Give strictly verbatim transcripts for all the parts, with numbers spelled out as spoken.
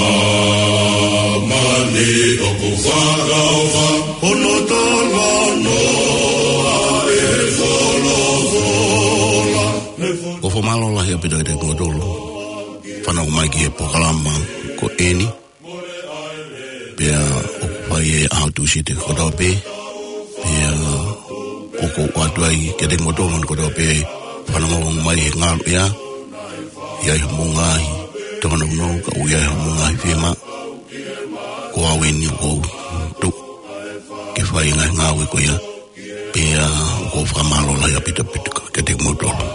Māmani ʻoku fakaʻofa, hono talanoa ʻe he folofola. ʻOku fakamālō lahi ʻaupito kiate kimoutolu fanongo mai ki he polokalama ko eni. Pea ʻoku fai ʻe he ʻaho Tūsite kotoa pē. Pea ʻoku ou ʻoatu ai kiate kimoutolu kotoa pē fanongo mai he ngaluʻea. ʻI ai haʻamou ngaahi tōnounou, ka ʻoku ʻi ai haʻamou ngaahi fiemaʻu, ko au eni ʻoku ou tuʻu ke fai e ngaahi ngāue ko ia. Pea ʻoku ou fakamālō lahi ʻaupito ʻaupito kiate kimoutolu.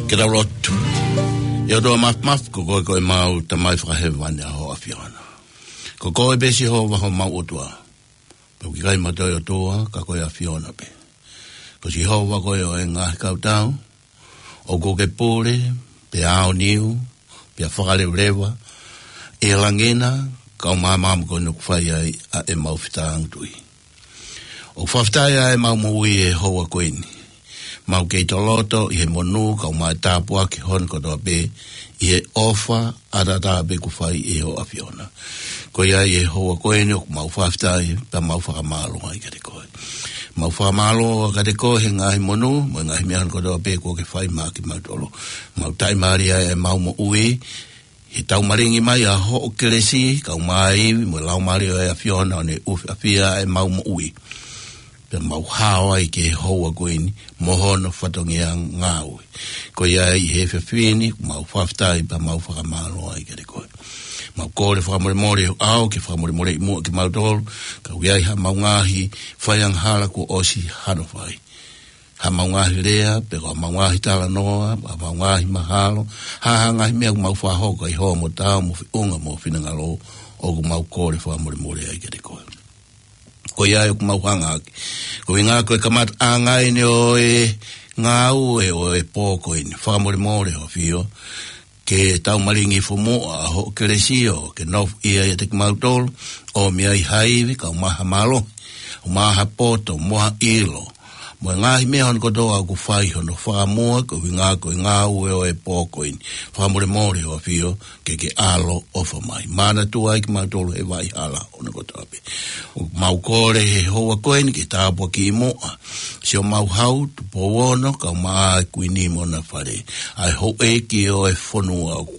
Ke tau lotu. ʻE ʻOtua Māfimafi, ko koe ko ʻemau Tamai Fakahēvani ʻa hoʻo ʻAfiona. Ko koe pē Sihova homau ʻOtua. Pea ʻoku ʻikai mo ha toe ʻOtua, ka ko e ʻAfiona pē. Ko Sihova koe ʻo e ngaahi kautau, ʻoku ke pule, pea aoniu, pea fakalevaleva, ʻi he langi na, kau māmā mo koe ʻoku fai ai ʻa ʻemau fetāngutuʻi. ʻOku fakafetaʻi ʻa ʻemau moʻui he houa ko eni. Mau kei toloto ʻi he monū kau mai tāpuaki hono kotoa pē ʻi he ʻofa ʻataʻatā pē kuo fai ʻe hoʻo ʻAfiona. Ko ia ʻi he houa ko eni ʻoku mau fakafetaʻi pea mau fakamālō ai kiate koe. Mau fakamālō kiate koe he ngaahi monū, mo e ngaahi meʻa hono kotoa pē kuo ke fai maʻa kimautolu. Mau taʻimālie ʻa ʻemau moʻui, he taumalingi mai ʻa hoʻo kelesi, kau mai mo e Laumālie ʻo e ʻAfiona ʻo ne ʻufiʻafia ʻa ʻemau moʻui. Pea mau hao ai ki he houa ko eni, mo hono fatongia ngāue. Ko ia ʻi he efiafi ni, mau fakafetaʻi pea mau fakamālō ai kiate koe. Mau kole fakamolemole ʻo ke fakamolemoleʻi muʻa kimautolu, ka ʻoku ʻi ai haʻamau ngaahi faiangahala kuo ʻosi hano fai. Haʻamau ngaahi lea, pe ko haʻamau ngaahi talanoa, haʻamau ngaahi mahalo, ha, ha ngaahi meʻa ʻoku mau fakahoko ʻi hoʻo motao mo feʻunga mo finangalo, ʻoku mau kole fakamolemole ai kiate koe. Ko ia ʻoku mau hanga ʻaki. Ko e ʻuhinga ko e kamataʻanga eni ʻo e ngāue ʻo e pō ko eni. Fakamolemole ʻo ʻAfio, ke taumalingi fomoʻa ʻa hoʻo kelesi ʻo ke nofo ia ʻiate kimautolu, ʻo meʻa ʻi ha ivi kau mai ha mālohi, ʻo mai ha poto, mo ha ʻilo. Mo e ngaahi meʻa hono kotoa ʻoku fai hono fakamua, ko e ʻuhinga ko e ngāue ʻo e pō ko eni. Fakamolemole ʻo ʻAfio, ke ke ʻaloʻofa mai. Manatua ai kimautolu he vaʻa hala hono kotoa pē. ʻOku mau kole he houa ko eni ke tāpuakiʻi muʻa Siomauhau Tupou Ono, kau mai ʻa e Kuini mo hona fale. ʻA e houʻeiki ʻo e fonua ʻoku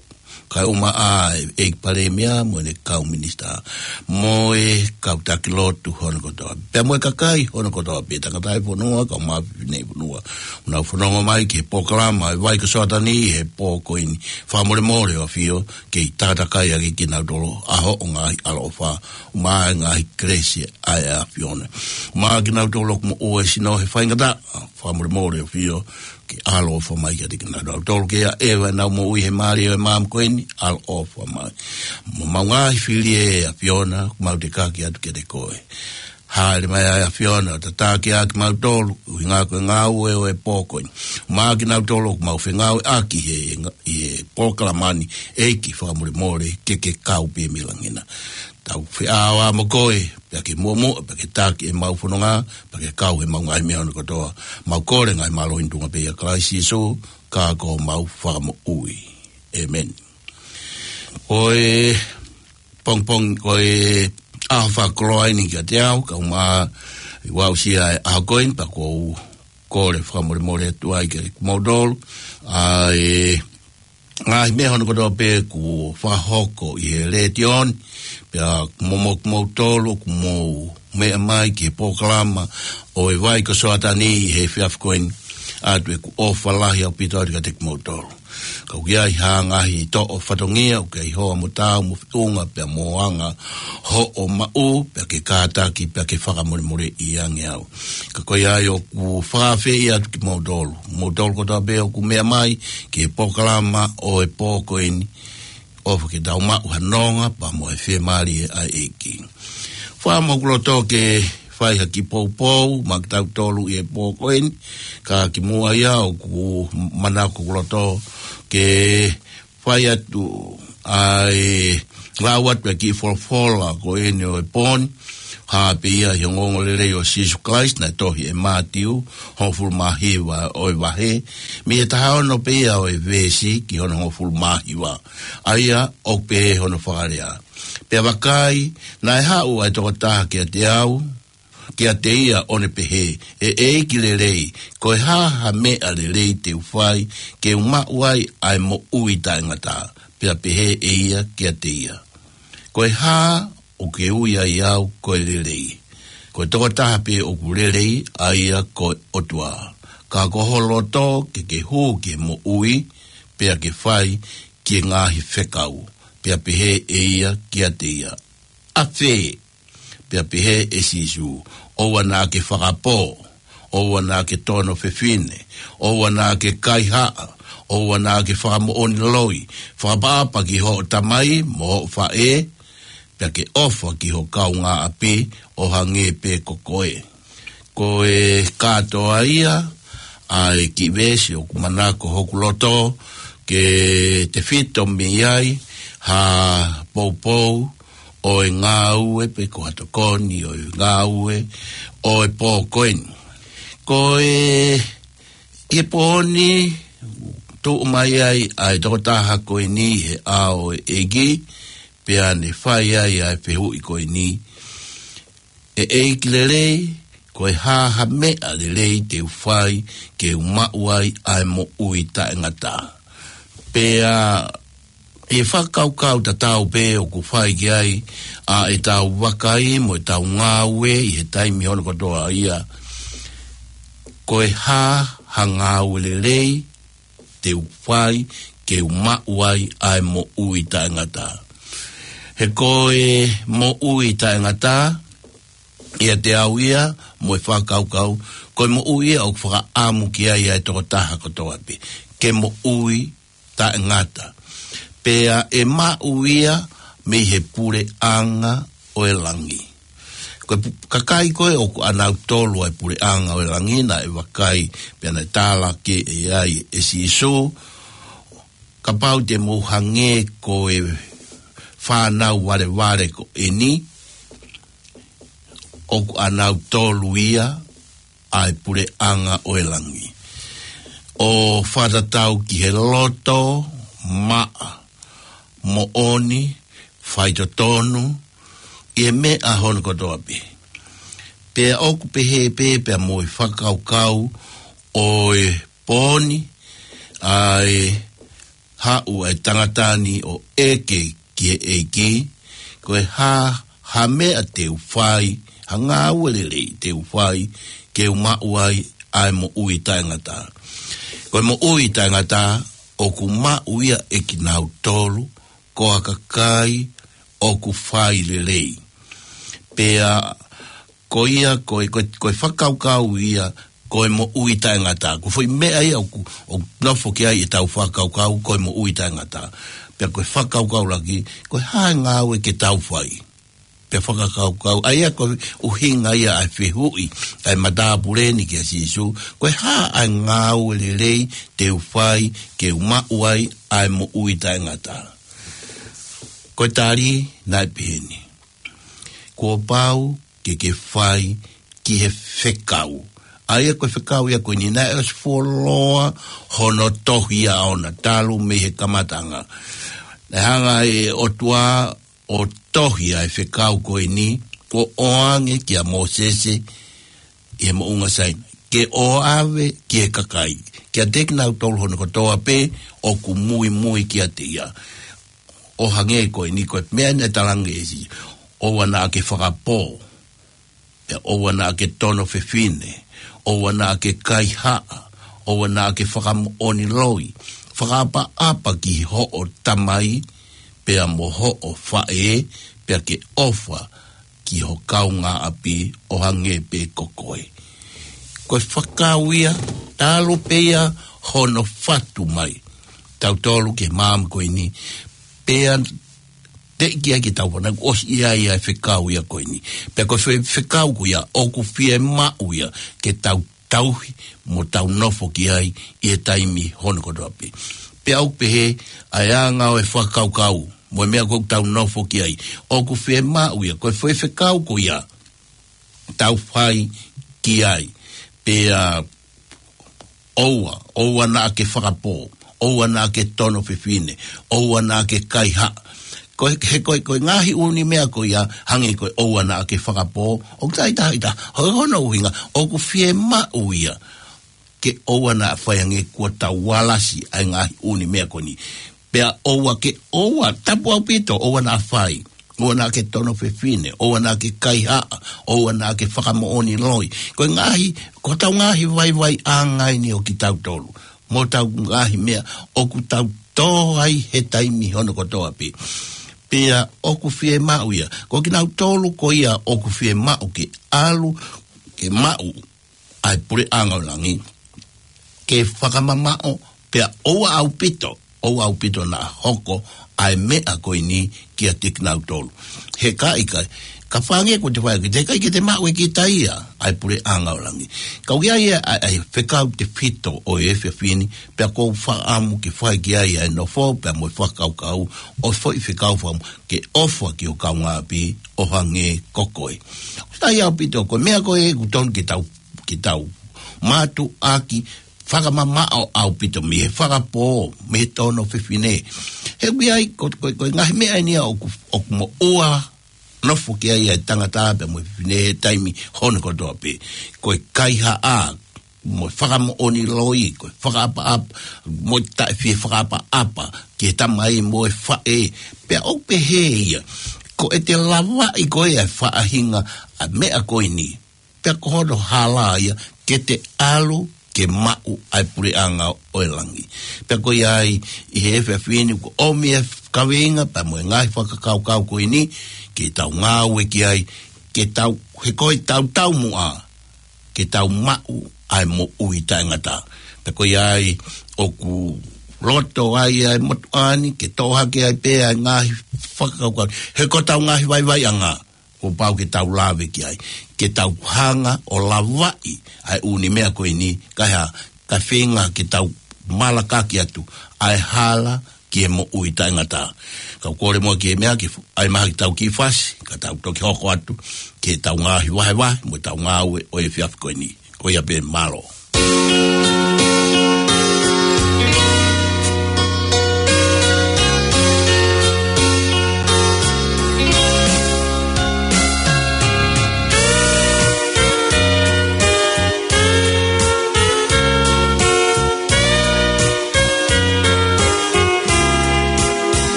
kae ʻumaʻā ʻa e ʻEiki Palēmia mo ʻene kau minisitā. Mo e kau taki lotu hono kotoa. Pea mo e kakai hono kotoa pē, tangataʻi fonua, kau mai fefine fonua. ʻOku nau fononga mai ki he polokalama ʻa e Vai ko Soatani he pō ko eni. Fakamolemole ʻo ʻAfio, kei tātakai ʻaki kinautolu ʻa hoʻo ngaahi ʻaloʻofa, ʻumaʻā e ngaahi kelesi ʻa e ʻAfiona. ʻUmaʻā kinautolu ʻoku moʻua e sino he faingataʻa, fakamolemole ʻo ʻAfio, ke ʻaloʻofa mai kiate kinautolu ke ʻaʻeva ʻenau moʻui he mālie ʻo e maama ko eni, ʻaloʻofa mai. Mo ʻemau ngaahi fili ʻe ʻAfiona, mau tekaki atu kiate koe. Hāʻele mai ʻa e ʻAfiona ʻo tataki ʻaki kimautolu, ʻuhinga ko e ngāue ʻo e pō ko eni. ʻUmaʻā kinautolu ʻoku mau fengāueʻaki he, ʻi he polokalama ni, ʻEiki fakamolemole ke ke kau pē mei langi na. Tau feʻao mo koe, pea ke muʻomuʻa, pea ke taki ʻemau fononga, pea ke kau heʻemau ngaahi meʻa hono kotoa. Mau kole ngaahi mālohi ni ʻi he tuʻunga pē ʻia Kalaisi Sīsū, ka ko homau Fakamoʻui. ʻĒmeni. Ko e pongipongi, ko e ʻaho fakakoloa eni kiate au, kau mai ʻo aʻusia e ʻaho ko eni, pea ʻoku ou kole fakamolemole atu ai kiate kimoutolu. ʻA e ngaahi meʻa hono kotoa pē kuo fakahoko ʻi he letiō ni, pea mo, mo, kimoutolu ʻoku mou meʻa mai ki he polokalama ʻo e Vai ko Soatani he efiafi ko eni, ʻoatu ʻeku ʻofa lahi ʻaupito atu kiate kimoutolu. Ka ʻoku ʻi ai ha ngaahi toʻo fatongia, ʻoku ʻi ai hoʻo motao mo feʻunga pea mo anga hoʻo maʻu, pea ke kātaki, pea ke fakamolemoleʻi ange au. Ka ko ia ai ʻoku ou fakaafeʻi atu kimoutolu. Moutolu kotoa pē ʻoku meʻa mai ki he polokalama ʻo e pō ko eni, ʻofa ke tau maʻu ha nonga pea mo e fiemālie ʻa e ʻEiki. Fakamoʻoni ʻoku ou loto ke fai ha kiʻi poupou maʻa kitautolu ʻi he pō ko eni, ka kimuʻa ia ʻoku manako ʻoku ou loto ke fai atu ʻa e lau atu ʻa e kiʻi folofola ko eni ʻo e pō ni, hā pē ia ʻi he ongoongolelei ʻo Sīsū Kalaisi naʻe tohi ʻe Mātiu, hongofulu mā hiva ʻo e vahe, mei he taha ono pē ia ʻo e veesi ki hono hongofulu mā hiva. ʻA ia ʻoku pehē hono fakalea: Pea vakai, naʻe haʻu ʻa e tokotaha kiate au, kiate ia ʻo ne pehē, ʻE ʻEiki lelei, ko e hā ha meʻa lelei te u fai, ke u maʻu ai ʻa e moʻui taʻengata? Pea pehē ʻe ia kiate ia, Ko e hā ʻoku ke ui ai au ko e lelei? Ko e tokotaha pē ʻoku lelei, ʻa ia ko e ʻOtua. Ka ko ho loto ke ke hū ki he moʻui, pea ke fai ki he ngaahi fekau. Pea pehē ʻe ia kiate ia, ʻAfē? Pea pehē ʻe Sīsū, ʻOua naʻa ke fakapō, ʻoua naʻa ke tono fefine, ʻoua naʻa ke kaihaʻa, ʻoua naʻa ke fakamoʻoni loi, fakaʻapaʻapa ki hoʻo tamai mo hoʻo faʻē, pea ke ʻofa ki ho kaungāʻapi ʻo hangē pē ko koe. Ko e kātoa ia ʻa e kiʻi veesi ʻoku manako hoku loto ke tefito mei ai ha poupou ʻo e ngāue pe ko ha tokoni ʻo e ngāue ʻo e pō ko eni. Ko e, ʻi he pō ni, tuʻu mai ai ʻa e tokotaha ko eni he ʻao ʻo e ʻEiki, pea ne fai ai ʻa e fehuʻi ko eni: ʻE ʻEiki lelei, ko e hā ha meʻa lelei te u fai ke u maʻu ai ʻa e moʻui taʻengata? Pea ʻi he fakakaukau tatau pē ʻoku fai ki ai ʻa ʻetau vakai mo ʻetau ngāue ʻi he taimi hono kotoa ia, ko e hā ha ngāue lelei te u fai ke u maʻu ai ʻa e moʻui taʻengata? He ko e moʻui taʻengata, ʻiate au ia mo e fakakaukau, ko e moʻui ia ʻoku fakaʻamu ki ai ʻa e tokotaha kotoa pē, ke moʻui taʻengata. Pea ʻe maʻu ia mei he puleʻanga ʻo e langi. Ko e pu-, kakai ko ē ʻoku ʻanautolu ʻa e puleʻanga ʻo e langi, naʻe vakai pea naʻe tala ki ai ʻe Sīsū, kapau te mou hangē ko e fānau valevale ko eni, ʻoku ʻanautolu ia ʻa e puleʻanga ʻo e langi. ʻO fakatatau ki he loto maʻa, moʻoni, faitotonu ʻi he meʻa hono kotoa pē. Pea ʻoku pehē pē pea mo e fakakaukau ʻo e pō ni, ʻa e haʻu ʻa e tangata ni ʻo ʻeke ki he ʻEiki, ko e hā ha meʻa te u fai, ha ngāue lelei te u fai ke u maʻu ai ʻa e moʻui taʻengata? Ko e moʻui taʻengata ʻoku maʻu ia ʻe kinautolu ko ha kakai ʻoku fai lelei. Pea ko ia, ko e, ko e, ko e fakakaukau ia, ko e moʻui taʻengata. Ko e foʻi meʻa ia ʻoku, ʻoku nofo ki ai ʻetau fakakaukau, ko e moʻui taʻengata. Pea ko e fakakaukau laki, ko e hā e ngāue ke tau fai? Pea fakakaukau, ʻa ia ko e ʻuhinga ia ʻa e fehuʻi ʻa e matāpule ni kia Sīsū, ko e hā ʻa e ngāue lelei te u fai ke u maʻu ai ʻa e moʻui taʻengata? Ko e tali naʻe pehē ni: Kuo pau ke ke fai ki he fekau. ʻA ia ko e fekau ia ko eni naʻe ʻosi fuoloa hono tohi ʻaʻana talu mei he kamataʻanga. Naʻe hanga ʻe he ʻOtua ʻo tohi ʻa e fekau ko eni, ʻo ʻoange kia Mōsese ʻi he moʻunga Sainai, ke ʻoave ki he kakai, kiate kinautolu hono kotoa pē ʻoku muimui kiate ia. ʻO hangē ko eni, ko e meʻa naʻe talaange ʻe Sīsū: ʻOua naʻa ke fakapō, pea ʻoua naʻa ke tono fefine, ʻoua naʻa ke kaihaʻa, ʻoua naʻa ke fakamoʻoni loi, fakaʻapaʻapa ki hoʻo tamai pea mo hoʻo faʻē, pea ke ʻofa ki ho kaungāʻapi ʻo hangē pē ko koe. Ko e fekau ia, talu pē ia hono fatu mai tautolu ki he maama ko eni, pea teʻeki ai ke tau fanau ʻosi ia ia e fekau ia ko eni. Pea ko e fe-, fekau ko ia ʻoku fiemaʻu ia ke tau tauhi mo tau nofo ki ai ʻi he taimi hono kotoa pē. Pea ʻoku pehē ʻa e anga ʻo e fakakaukau mo e meʻa ʻoku tau nofo ki ai, ʻoku fiemaʻu ia, ko e fe-, fekau ko ia tau fai ki ai. Pea ʻoua, ʻoua naʻa ke fakapō, ʻoua naʻa ke tono fefine, ʻoua naʻa ke kaihaʻa. Ko e, he ko e, ko e ngaahi ʻū meʻa ko ia, hangē ko e ʻoua naʻa ke fakapō, ʻoku taʻetaha ʻi taha, ko hono ʻuhinga, ʻoku fiemaʻu ia ke ʻoua naʻa fai ange kuo tau alasi ʻa e ngaahi ʻū meʻa ko eni. Pea ʻoua ke, ʻoua, tapu ʻaupito, ʻoua naʻa fai, ʻoua naʻa ke tono fefine, ʻoua naʻa ke kaihaʻa, ʻoua naʻa ke fakamoʻoni loi. Ko e ngaahi, ko hotau ngaahi vaivaiʻanga eni ʻo kitautolu mo hotau ngaahi meʻa ʻoku tau tō ai he taimi hono kotoa pē. Pea ʻoku fiemaʻu ia, ko kinautolu ko ia ʻoku fiemaʻu ke ʻalu ke maʻu ʻa e puleʻanga ʻo langi, ke fakamamaʻo Pea ʻoua ʻaupito, ʻoua ʻaupito naʻa hoko ʻa e meʻa ko eni kiate kinautolu. He ka ʻikai, ka fānge ko te fai ki te kai ke te maʻu e kita ia ʻa e puleʻanga ʻo langi. Ka ʻoku ʻi ai ʻa e, ʻa e fekau tefito ʻo e efiafi ni, pea ʻoku ou fakaʻamu ke fai ki ai ʻa e nofo, pea mo e fakakaukau ʻo e foʻi fekau fakaʻamu ke ʻofa ki ho kaungāʻapi ʻo hangē ko koe. ʻOku sai ʻaupito ko e meʻa ko ē ʻoku totonu ke tau, ke tau mātuʻaki fakamamaʻo ʻaupito mei he fakapō, mei he tono fefine. He ʻoku ʻi ai, ko, ko, ko e ngaahi meʻa eni ia ʻoku, ʻoku moʻua nofo ki ai ʻa e tangata pea mo e fefine he taimi hono kotoa pē. Ko e kaihaʻa, mo e fakamoʻoni loi, ko e fakaʻapaʻapa, mo e taʻefie fakaʻapaʻapa ki he tamai mo e faʻē. Pea ʻoku pehē ia, ko ʻete lavaʻi ko ē ʻa e faʻahinga ʻa e meʻa ko eni, pea ko hono hala ia ke te ʻalu ke maʻu ʻa e puleʻanga ʻo e langi. Pea ko ia ai ʻi he efiafi ni ʻoku ʻomi e kaveinga pea mo e ngaahi fakakaukau ko eni ke tau ngāue ki ai, ke tau, he ko e tau taumuʻa ke tau maʻu ʻa e moʻui taʻengata. Pea ko ia ai ʻoku loto ai ʻa e motuʻa ni ke toʻo hake ai pē ʻa e ngaahi fakakaukau. He ko ʻetau ngaahi vaivaiʻanga, kuo pau ke tau lave ki ai. Ke tau hanga ʻo lavaʻi ʻa e ʻū meʻa ko eni, kae hā, kae feinga ke tau malakaki atu ʻa e hala ki he moʻui taʻengata. Kau kole muʻa ki he meʻa ke fu-, ʻai mai ha kiʻi tau kiʻi fasi, ka tau toki hoko atu ki heʻetau ngaahi vahevahe, mo ʻetau ngāue ʻo e efiafi ko eni. Ko ia pē, mālō.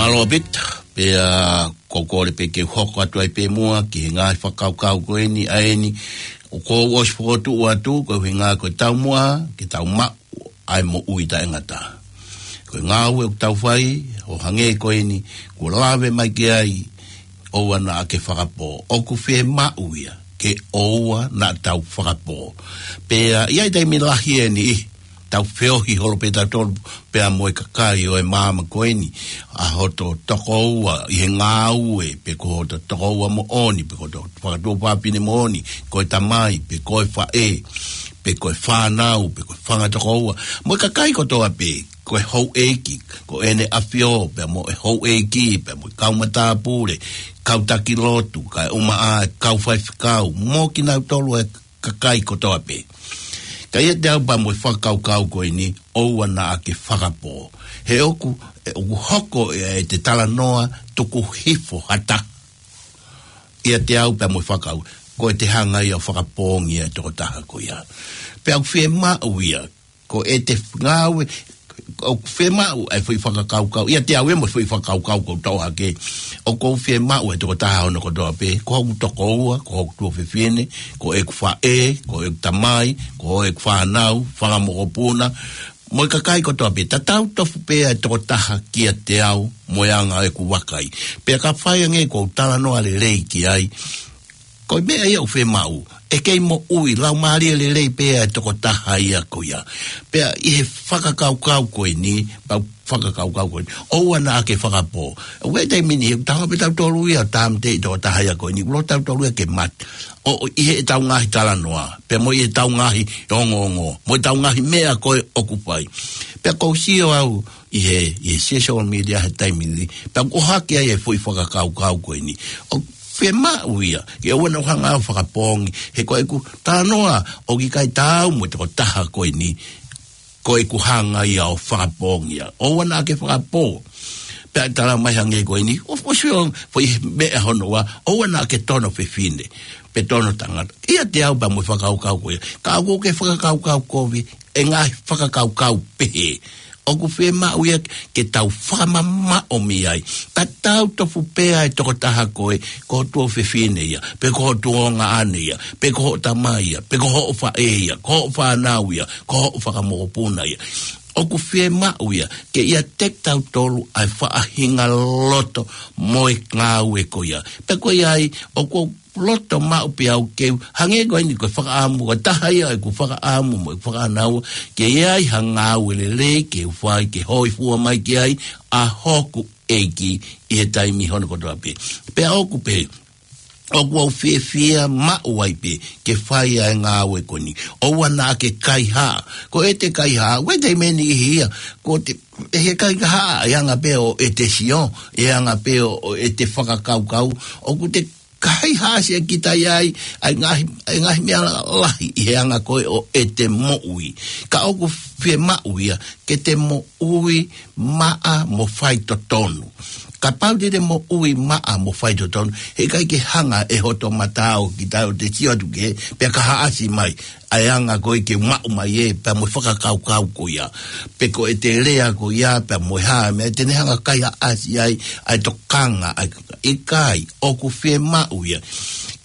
Alo Pita, pea ko e kole pē ke u hoko atu ai pē muʻa ki he ngaahi fakakaukau ko eni ʻa eni, ʻoku ou ʻosi fokotuʻu atu, ko e ʻuhinga ko e taumuʻa, ke tau maʻu ʻa e moʻui taʻengata. Ko e ngāue ʻoku tau fai, ʻo hangē ko eni, kuo lave mai ki ai, ʻoua naʻa ke fakapō. ʻOku fiemaʻu ia, ke ʻoua naʻa tau fakapō. Pea, ʻi ai taimi lahi eni, ʻi, tau feohi holo pē tautolu, pea mo e kakai ʻo e māmani ko eni, ʻa hoto tokoua, ʻi he ngāue, pe ko hoto tokoua moʻoni, pe ko hoto fakatuofāfine moʻoni, ko e tamai, pe ko e faʻē, pe ko e fānau, pe ko e fanga tokoua. Mo e kakai kotoa pē, ko e houʻeiki, ko ʻEne ʻAfio, pea mo e houʻeiki, pea mo e kau matāpule, kau taki lotu, kae ʻumaʻā e kau faifekau, mo kinautolu e kakai kotoa pē. Ka ʻiate au pea mo e fakakaukau ko eni, ʻoua naʻa ke fakapō. He ʻoku, ʻe ʻoku hoko ʻe, ʻe te talanoa tuku hifo ha taha. ʻIate au pea mo e fakau, ko e te hanga ia ʻo fakapōngi e tokotaha ko ia. Pea ʻoku fiemaʻu ia, ko e te ngāue, ʻoku fiemaʻu e foʻi fakakaukau, ʻiate au ʻe mo e foʻi fakakaukau ko tau hake, ʻoku ou fiemaʻu e tokotaha hono kotoa pē, ko hoku tokoua, ko hoku tuofefine, ko ʻeku faʻē, ko ʻeku tamai, ko ʻeku fānau, fanga mokopuna, mo e kakai kotoa pē, tatau tofu pē e tokotaha kiate au, mo e anga ʻeku vakai. Pea ka fai ange ʻoku ou talanoa lelei ki ai, ko e meʻa ia ʻoku fiemaʻu, ʻe kei moʻui, laumālie lelei pē e tokotaha ia ko ia. Pea ʻi he fakakaukau ko eni, pea u fakakaukau ko eni, ʻoua naʻa ke fakapō. ʻOku ʻi ai taimi ni, ʻoku tau hanga pē tautolu ia, tāmateʻi e tokotaha ia ko eni, ʻoku loto tautolu ia ke mate. ʻO, ʻo ʻi heʻetau ngaahi talanoa, pea mo ʻi heʻetau ngaahi ongoongo, mo ʻetau ngaahi meʻa ko ē ʻoku fai. Pea ʻoku ou sio au ʻi he, ʻi he social media he taimi ni, pea ʻoku ʻohake ai e foʻi fakakaukau ko eni. ʻOku fiemaʻu ia, ke ʻoua naʻa hanga ʻo fakapōngi, he ko ʻeku talanoa, ʻoku ʻikai taau mo e tokotaha ko eni, ko ʻeku hanga ia ʻo fakapōngi ia. ʻOua naʻa ke fakapō. Pea tala mai hangē ko eni, ʻo fosio, foʻi meʻa hono ua, ʻoua naʻa ke tono fefine. Pe tono tangata. ʻIate au pea mo e fakakaukau ko ia. Ka ʻoku ke fakakaukau kovi, e ngaahi fakakaukau pehē. ʻOku fiemaʻu ia ke tau fakamamaʻo mei ai. Tatau tofu pē e tokotaha ko ē, ko ho tuofefine ia, pe ko ho tuongaʻane ia, pe ko hoʻo tamai ia, pe ko hoʻo faʻē ia, ko hoʻo fānau ia, ko hoʻo fanga mokopuna ia. ʻOku fiemaʻu ia, ke ʻiate kitautolu ʻa e faʻahinga loto mo e ngāue ko ia. Pea ko ia ai, ʻoku ou loto maʻu pē au ke u, hangē ko eni ko e fakaʻamu, ko e taha ia ʻeku fakaʻamu mo ʻeku fakaʻānaua, ke ʻi ai ha ngāue lelei ke u fai, ke hōifua mai ki ai ʻa hoku ʻEiki ʻi he taimi hono kotoa pē. Pea ʻoku pehē, ʻoku ou fiefia maʻu ai pē ke fai ʻa e ngāue ko eni. ʻOua naʻa ke kaihaʻa. Ko e te kaihaʻa, ʻoku ʻi ai taimi ʻe niʻihi ia, ko e te, ʻe he kaihaʻa, ʻe anga pē ʻo e te sio, ʻe anga pē ʻo, ʻo e te fakakaukau, ʻoku te kaihaʻasi ʻa kita ia ʻi, ʻa e ngaahi, ʻa e ngaahi meʻa lahi ʻi he anga ko ē ʻo e te moʻui. Ka ʻoku fiemaʻu ia, ke te moʻui maʻa mo faitotonu. Kapau te te moʻui maʻa mo faitotonu, heʻikai ke hanga ʻe hoto mata ʻo kita ʻo te sio atu ki hē, pea ka haʻasi mai, ʻa e anga ko ē ke maʻu mai ē, pea mo e fakakaukau ko ia. Pe ko e te lea ko ia, pea mo e hā, meʻa te ne hanga kaihaʻasi ai, ʻa e tokanga, ʻa e ʻikai, ʻoku fiemaʻu ia.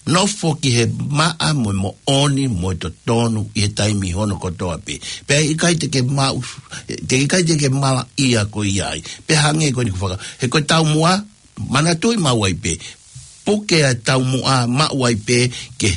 Nofo ki he maʻa mo e moʻoni mo e totonu ʻi he taimi hono kotoa pē. Pea ʻikai te ke maʻu, te ʻikai te ke mala ia ko ia ai. Pea hangē ko eni ko faka, he ko e taumuʻa, manatuʻi maʻu ai pē. Puke ʻa e taumuʻa maʻu ai pē ke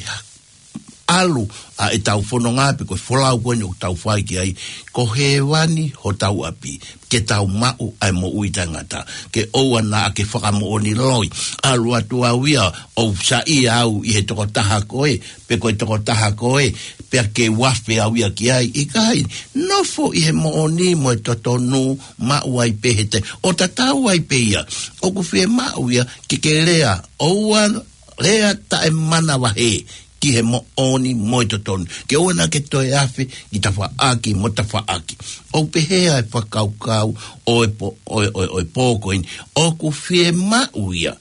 ʻalu ʻa e tau fononga pe ko e folau ko eni ʻoku tau fai ki ai. Ko hēvani hotau ʻapi. Ke tau maʻu ʻa e moʻui taʻengata. Ke ʻoua naʻa ke fakamoʻoni loi. ʻAlu atu au ia ʻo saiʻia au ʻi he tokotaha ko ē, pe ko e tokotaha ko ē, pea ke uafe au ia ki ai. ʻIkai, nofo ʻi he moʻoni mo e totonu maʻu ai pē he te. ʻO tatau ai pē ia. ʻOku fiemaʻu ia ke ke lea. ʻOua lea taʻemanavahē ki he moʻoni mo e totonu. Ke ʻoua naʻa ke toe afe ki tafaʻaki mo tafaʻaki. ʻOku pehē ʻa e fakakaukau ʻo e pō, ʻo e, ʻo e, ʻo e pō ko eni. ʻOku fiemaʻu ia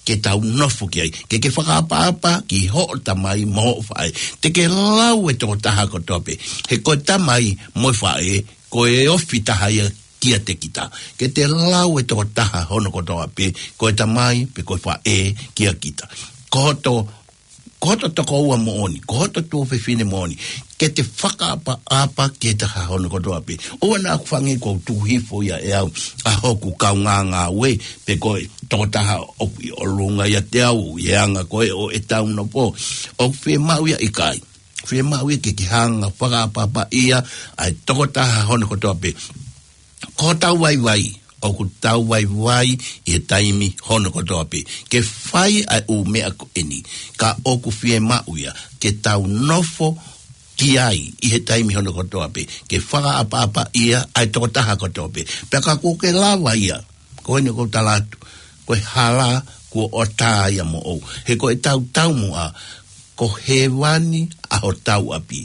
ke tau nofo ki ai. Ke ke fakaʻapaʻapa ki hoʻo tamai mo hoʻo faʻē. Te ke lau e tokotaha kotoa pē. He ko e tamai mo e faʻē, ko e ofi taha ia kiate kita. Ke te lau e tokotaha hono kotoa pē, ko e tamai, pe ko e faʻē kiate kita. Ko hoto, ko hoto tokoua moʻoni, ko hoto tuofefine moʻoni. Ke te fakaʻapaʻapa ki he taha hono kotoa pē. ʻOua naʻa ku feinga ke u tuku hifo ia ʻe au ʻa hoku kaungāngāue, pe ko e tokotaha ʻoku ʻi ʻolunga ʻiate au, ʻi he anga ko ē ʻo ʻetau nofo. ʻOku fiemaʻu ia ʻikai. Fiemaʻu ia ke ke hanga fakaʻapaʻapaʻia ʻa e tokotaha hono kotoa pē. Ko hotau vaivai, ʻoku tau vaivai ʻi he taimi hono kotoa pē. Ke fai ʻa e ʻū meʻa ko eni. Ka ʻoku fiemaʻu ia ke tau nofo ki ai ʻi he taimi hono kotoa pē. Ke fakaʻapaʻapaʻia ʻa e tokotaha kotoa pē. Pea ka kuo ke lava ia, ko eni ʻoku ou tala atu, ko e hala kuo ʻatā ia moʻou. He ko ʻetau taumuʻa, ko hēvani ʻa hotau ʻapi.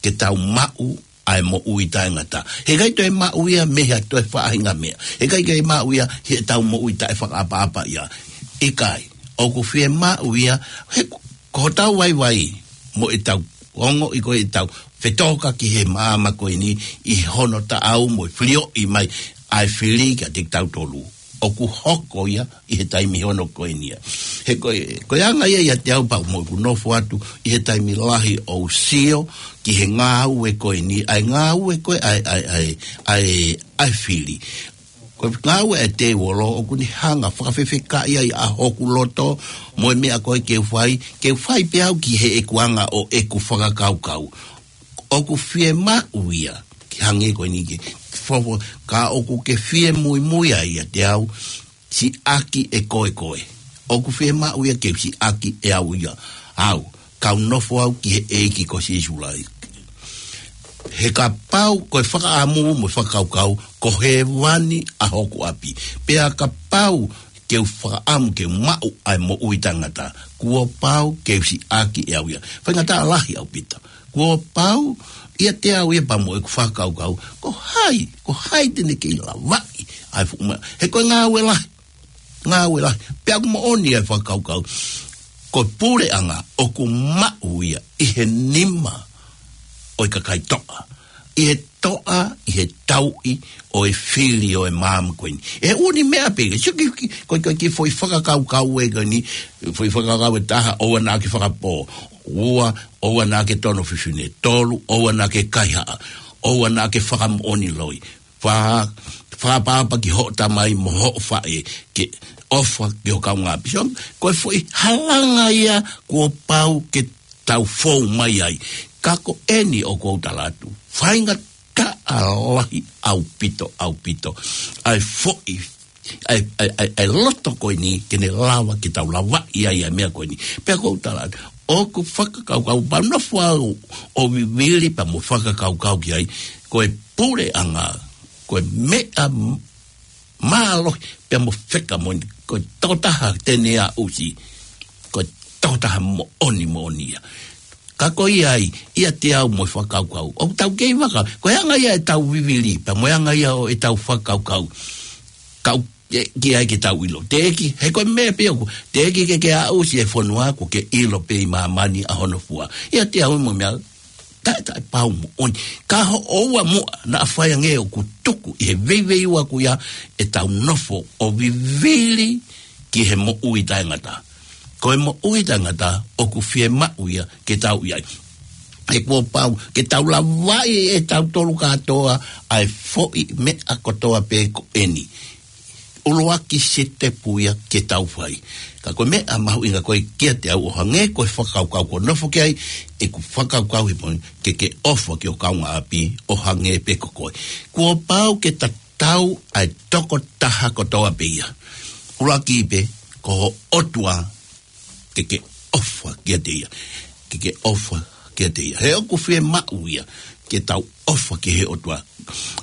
Ke tau maʻu ʻa e moʻui taʻengata. Heʻikai toe maʻu ia mei ha toe faʻahinga meʻa. Heʻikai ke maʻu ia heʻetau moʻui taʻefakaʻapaʻapaʻia. ʻIkai, ʻoku fiemaʻu ia, he ko hotau vaivai mo ʻetau ongoʻi ko ʻetau fetōkaki he māmani ko eni ʻi hono taʻau mo e filioʻi mai ʻa e fili kiate kitautolu. ʻOku hoko ia ʻi he taimi hono ko eni ia. He ko e, ko e anga ia ʻiate au pea mo ʻeku nofo atu ʻi he taimi lahi ʻo u sio ki he ngāue ko eni, ʻa e ngāue ko ē ʻa e, ʻa e, ʻa e, ʻa e, ʻa e fili. Ko e ngāue ʻa e tēvolo ʻoku ne hanga fakafefekaʻi ai ʻa hoku loto mo e meʻa ko ē ke u fai, ke u fai pē au ki heʻeku anga ʻo ʻeku fakakaukau. ʻOku fiemaʻu ia, ke hangē ko eni ke fofo, ka ʻoku ke fie muimui ai ʻiate au, siʻaki ʻe koe koe. ʻOku fiemaʻu ia ke u siʻaki ʻe au ia. Au, kau nofo au ki he ʻEiki ko Sīsū Kalaisi. He kapau ko e fakaʻamu mo e fakakaukau, ko hēvani ʻa hoku ʻapi. Pea kapau ke u fakaʻamu ke u maʻu ʻa e moʻui taʻengata, kuo pau ke u siʻaki ʻe au ia. Faingataʻa lahi ʻaupito. Kuo pau ʻiate au ia pea mo ʻeku fakakaukau, ko hai, ko hai te ne kei lavaʻi ʻa e fuʻu meʻa. He ko e ngāue lahi, ngāue lahi. Pea ʻoku moʻoni ʻa e fakakaukau, ko e puleʻanga ʻoku maʻu ia ʻi he nima ʻo e kakai toʻa, ʻi he toʻa, ʻi he tauʻi ʻo e fili ʻo e māmani ko eni. ʻE ʻū meʻa pē, sio ki, ki, ko, ko, ki he foʻi fakakaukau ē ko eni, foʻi fakakaukau ʻe taha, ʻoua naʻa ke fakapō. Ua, ʻoua naʻa ke tono fefine. Tolu, ʻoua naʻa ke kaihaʻa. ʻOua naʻa ke fakamoʻoni loi. Fā, fakaʻapaʻapa ki hoʻo tamai mo hoʻo faʻē, ke ʻofa ki ho kaungāʻapi. So, ko e foʻi halanga ia kuo pau ke tau fou mai ai. Ka ko eni ʻoku ou tala atu, faingataʻa lahi ʻaupito, ʻaupito ʻa e foʻi, ʻa e, ʻa e, ʻa e, ʻa e loto ko eni ke ne lava ke tau lavaʻi ai ʻa e meʻa ko eni. Pea ʻoku ou tala atu, ʻoku fakakaukau pea nofo au ʻo vivili pea mo fakakaukau ki ai, ko e puleʻanga, ko e meʻa m-, mālohi pea mo fakamoʻoni, ko e tokotaha te ne aʻusi, ko e tokotaha moʻoni moʻoni ia. Ka ko ia ai, ʻiate au mo e fakakaukau ʻoku tau kei vaka, ko e anga ia ʻetau vivili pea mo e anga ia ʻo ʻetau fakakaukau. Kau, ē, ki ai ke tau ʻilo. Teʻeki, he ko e meʻa pē ʻoku, teʻeki ke ke aʻusi e fonua kuo ke ʻilo pē ʻi māmani ʻa hono fua. ʻIate au mo e meʻa taʻe, taʻepau moʻoni. Ka hoʻo ʻoua muʻa naʻa fai ange ʻoku tuku ʻi he veiveiua ko ia ʻetau nofo ʻo vivili ki he moʻui taʻengata. Ko e moʻui taʻengata ʻoku fiemaʻu ia ke tau ʻi ai. He kuo pau ke tau lavaʻi ʻe tautolu kātoa ʻa e foʻi meʻa kotoa pē ko eni. ʻUluaki sitepu ia ke tau fai. Ka ko e meʻa mahuʻinga ko ē kiate au ʻo hangē ko e fakakaukau kuo nofo ki ai ʻeku fakakaukau he poini, ke ke ʻofa ki ho kaungāʻapi ʻo hangē pē ko koe. Kuo pau ke tatau ʻa e tokotaha kotoa pē ia. ʻUluaki pē, ko ho ʻOtua, ke ke ʻofa kiate ia. Ke ke ʻofa kiate ia. He ʻoku fiemaʻu ia ke tau ʻofa ki he ʻOtua.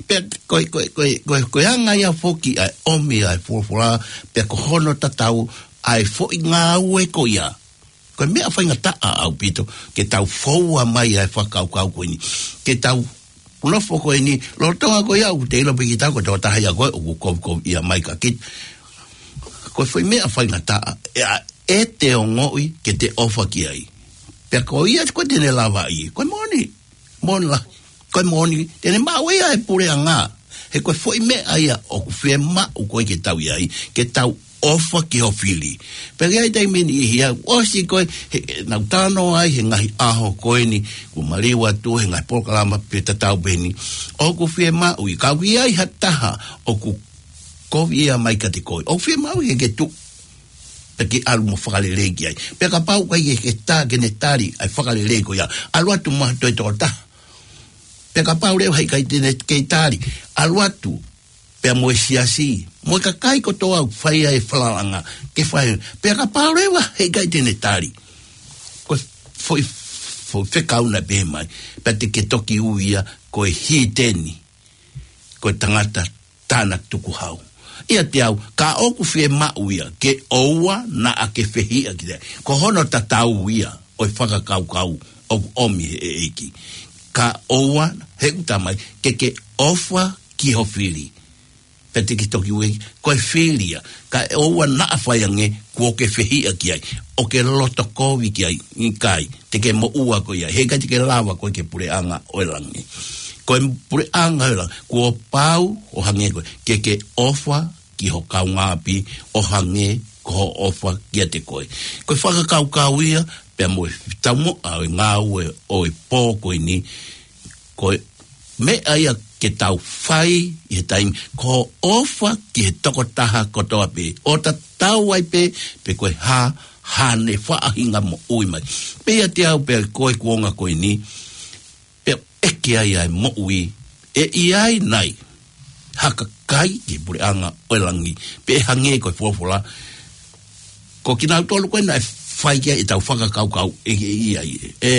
Pea ko e, ko e, ko e, ko e, ko e anga ia foki ʻa e ʻomi ʻa e folofola, pea ko hono tatau ʻa e foʻi ngāue ko ia. Ko e meʻa faingataʻa ʻaupito ke tau foua mai ʻa e fakakaukau ko eni. Ke tau nofo ko eni, lolotonga ko ia ʻoku te ʻilo pē kitautolu ko e tokotaha ia ko ē ʻoku kovikovi ia mai ka kita. Ko e foʻi meʻa faingataʻa, ʻe a, ʻe te ongoʻi ke te ʻofa ki ai. Pea ko ia ko ē te ne lavaʻi, ko e moʻoni, moʻoni lahi. Ko e moʻoni, te ne maʻu ia e puleʻanga. He ko e foʻi meʻa ia ʻoku fiemaʻu ko ē ke tau ʻi ai, ke tau ʻofa ki ho fili. Pea ʻi ai taimi ʻe niʻihi ʻoku ʻosi ko ē, he, he nau talanoa ai he ngaahi ʻaho ko eni, kuo maliu atu he ngaahi polokalama pē tatau pē eni. ʻOku fiemaʻu ia, ka ʻoku ʻi ai ha taha ʻoku kovi ia mai kiate koe, ʻoku fiemaʻu ia ke tuʻu pea ke ʻalu mo fakalelei ki ai. Pea kapau ʻoku ʻikai ke ke tā ke ne tali ʻa e fakalelei ko ia, ʻalu atu mo ha toe tokotaha. Pea kapau leva he ʻikai te ne kei tali, ʻalu atu pea mo e siasi, mo e kakai kotoa ʻoku fai ai e falalaʻanga, ke fai. Pea kapau leva he ʻikai te ne tali, ko e foʻi, foʻi fekau naʻe pehē mai, pea te ke toki ui ia ko e hiteni, ko e tangata tānaki tukuhau. ʻIate au, ka ʻoku fiemaʻu ia, ke ʻoua naʻa ke fehiʻa ki ai. Ko hono tatau ia ʻo e fakakaukau ʻoku ʻomi he ʻEiki. Ka ʻoua, he ʻoku talamai, ke ke ʻofa ki ho fili. Pea te ke toki ui, ko e fili ia. Ka ʻoua naʻa fai ange kuo ke fehiʻa ki ai, ʻo ke loto kovi ki ai, ʻikai, te ke moʻua koe ia, he ʻikai te ke lava koe ki he puleʻanga ʻo e langi. Ko e puleʻanga ʻo e langi, kuo pau ʻo hangē ko ē, ke ke ʻofa ki ho kaungāʻapi ʻo hangē ko hoʻo ʻofa kiate koe. Ko e fakakaukau ia, pea mo e taumuʻa ʻo e ngāue ʻo e pō ko eni, ko e meʻa ia ke tau fai ʻi he taimi, ko e ʻofa ki he tokotaha kotoa pē, ʻo tatau ai pē pe ko e hā haʻane faʻahinga moʻui mai. Pea ʻiate au pea ko e kuonga ko eni, pea ʻeke ai ʻa e moʻui, ʻe ʻi ai nai ha kakai ki he puleʻanga ʻo e langi, pe ʻe hangē ko e folofola, ko kinautolu ko ē naʻe fai ki ai ʻetau fakakaukau, ʻe, ʻe ʻi ai, ʻe,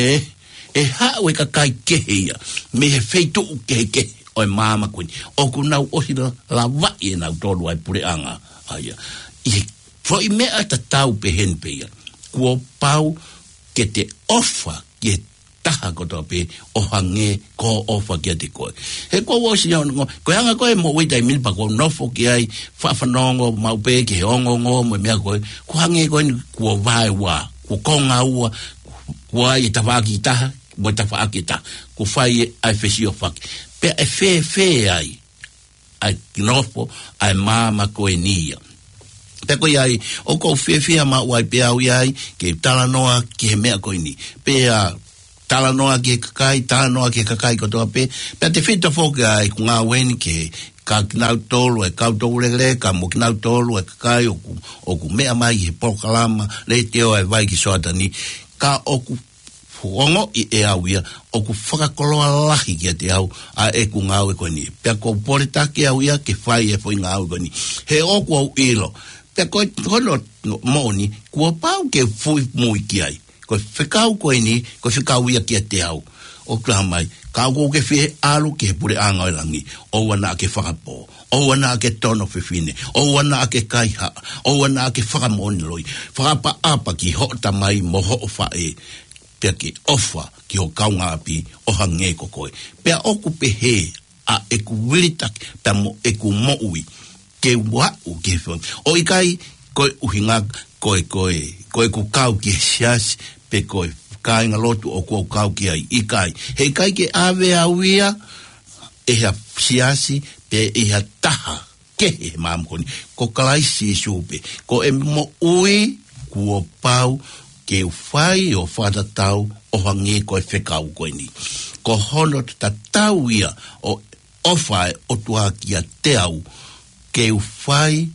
ʻe haʻu e kakai kehe ia mei he feituʻu kehekehe ʻo e māmani ko eni, ʻoku nau ʻosi la-, lavaʻi ʻe nautolu ʻa e puleʻanga. ʻA ia, ʻi he foʻi meʻa tatau pehē ni pē ia, kuo pau ke te ʻofa ki he taha kotoa pē ʻo hangē ko hoʻo ʻofa kiate koe. He kuo u ʻosi ʻi ai hono ongo, ko e anga ko ē moʻui taimi ni pea kuo u nofo ki ai, faʻa fanongo maʻu pē ki he ongoongo mo e meʻa ko ē, kuo hangē ko eni kuo vaeua, kuo konga ua, kuo ʻi ai e tafaʻaki ʻe taha mo e tafaʻaki ʻe taha, kuo fai ʻa e fesiofaki. Pea ʻe fēfē ai ʻa e nofo ʻa e māmani ko eni ia. Pea ko ia ai, ʻoku ou fiefia maʻu ai pē au ʻi ai, ke talanoa ki he meʻa ko eni. Pea talanoa ki he kakai, talanoa ki he kakai kotoa pē, pea tefito foki ʻa ʻeku ngāue ni ki he kau kinautolu, ʻa e kau toulekeleka, mo kinautolu, ʻa e kakai ʻoku, ʻoku meʻa mai he polokalama letiō ʻa e Vai ki Soatani, ka ʻoku ongoʻi ʻe au ia, ʻoku fakakoloa lahi kiate au ʻa ʻeku ngāue ko eni. Pea ʻoku ou poletaki au ia ke fai e foʻi ngāue ko eni. He ʻoku ou ʻilo, pea ko e hono moʻoni, kuo pau ke fuʻu mui ki ai. Ko e fekau ko eni, ko e fekau ia kiate au. ʻOku talamai, ka ʻoku ke fie ʻalu ki he puleʻanga ʻo e langi, ʻoua naʻa ke fakapō, ʻoua naʻa ke tono fefine, ʻoua naʻa ke kaihaʻa, ʻoua naʻa ke fakamoʻoni loi, fakaʻapaʻapa ki hoʻo tamai mo hoʻo faʻē, pea ke ʻofa ki ho kaungāʻapi ʻo hangē ko koe. Pea ʻoku pehē ʻa ʻeku vilitaki pea mo ʻeku moʻui, ke u aʻu ki he fo-, ʻo ʻikai ko e ʻuhinga ko e, ko e, ko ʻeku kau ki he siasi, pe ko e kāingalotu ʻoku ou kau ki ai, ʻikai. He ʻikai ke ʻave au ia ʻe ha siasi, pe ʻe ha taha kehe he māmani ko eni. Ko Kalaisi Sīsū pē. Ko e moʻui kuo pau ke u fai ʻo fakatatau ʻo hangē ko e fekau ko eni. Ko hono tatau ia ʻo e ʻofa ʻa e ʻOtua kiate au, ke u fai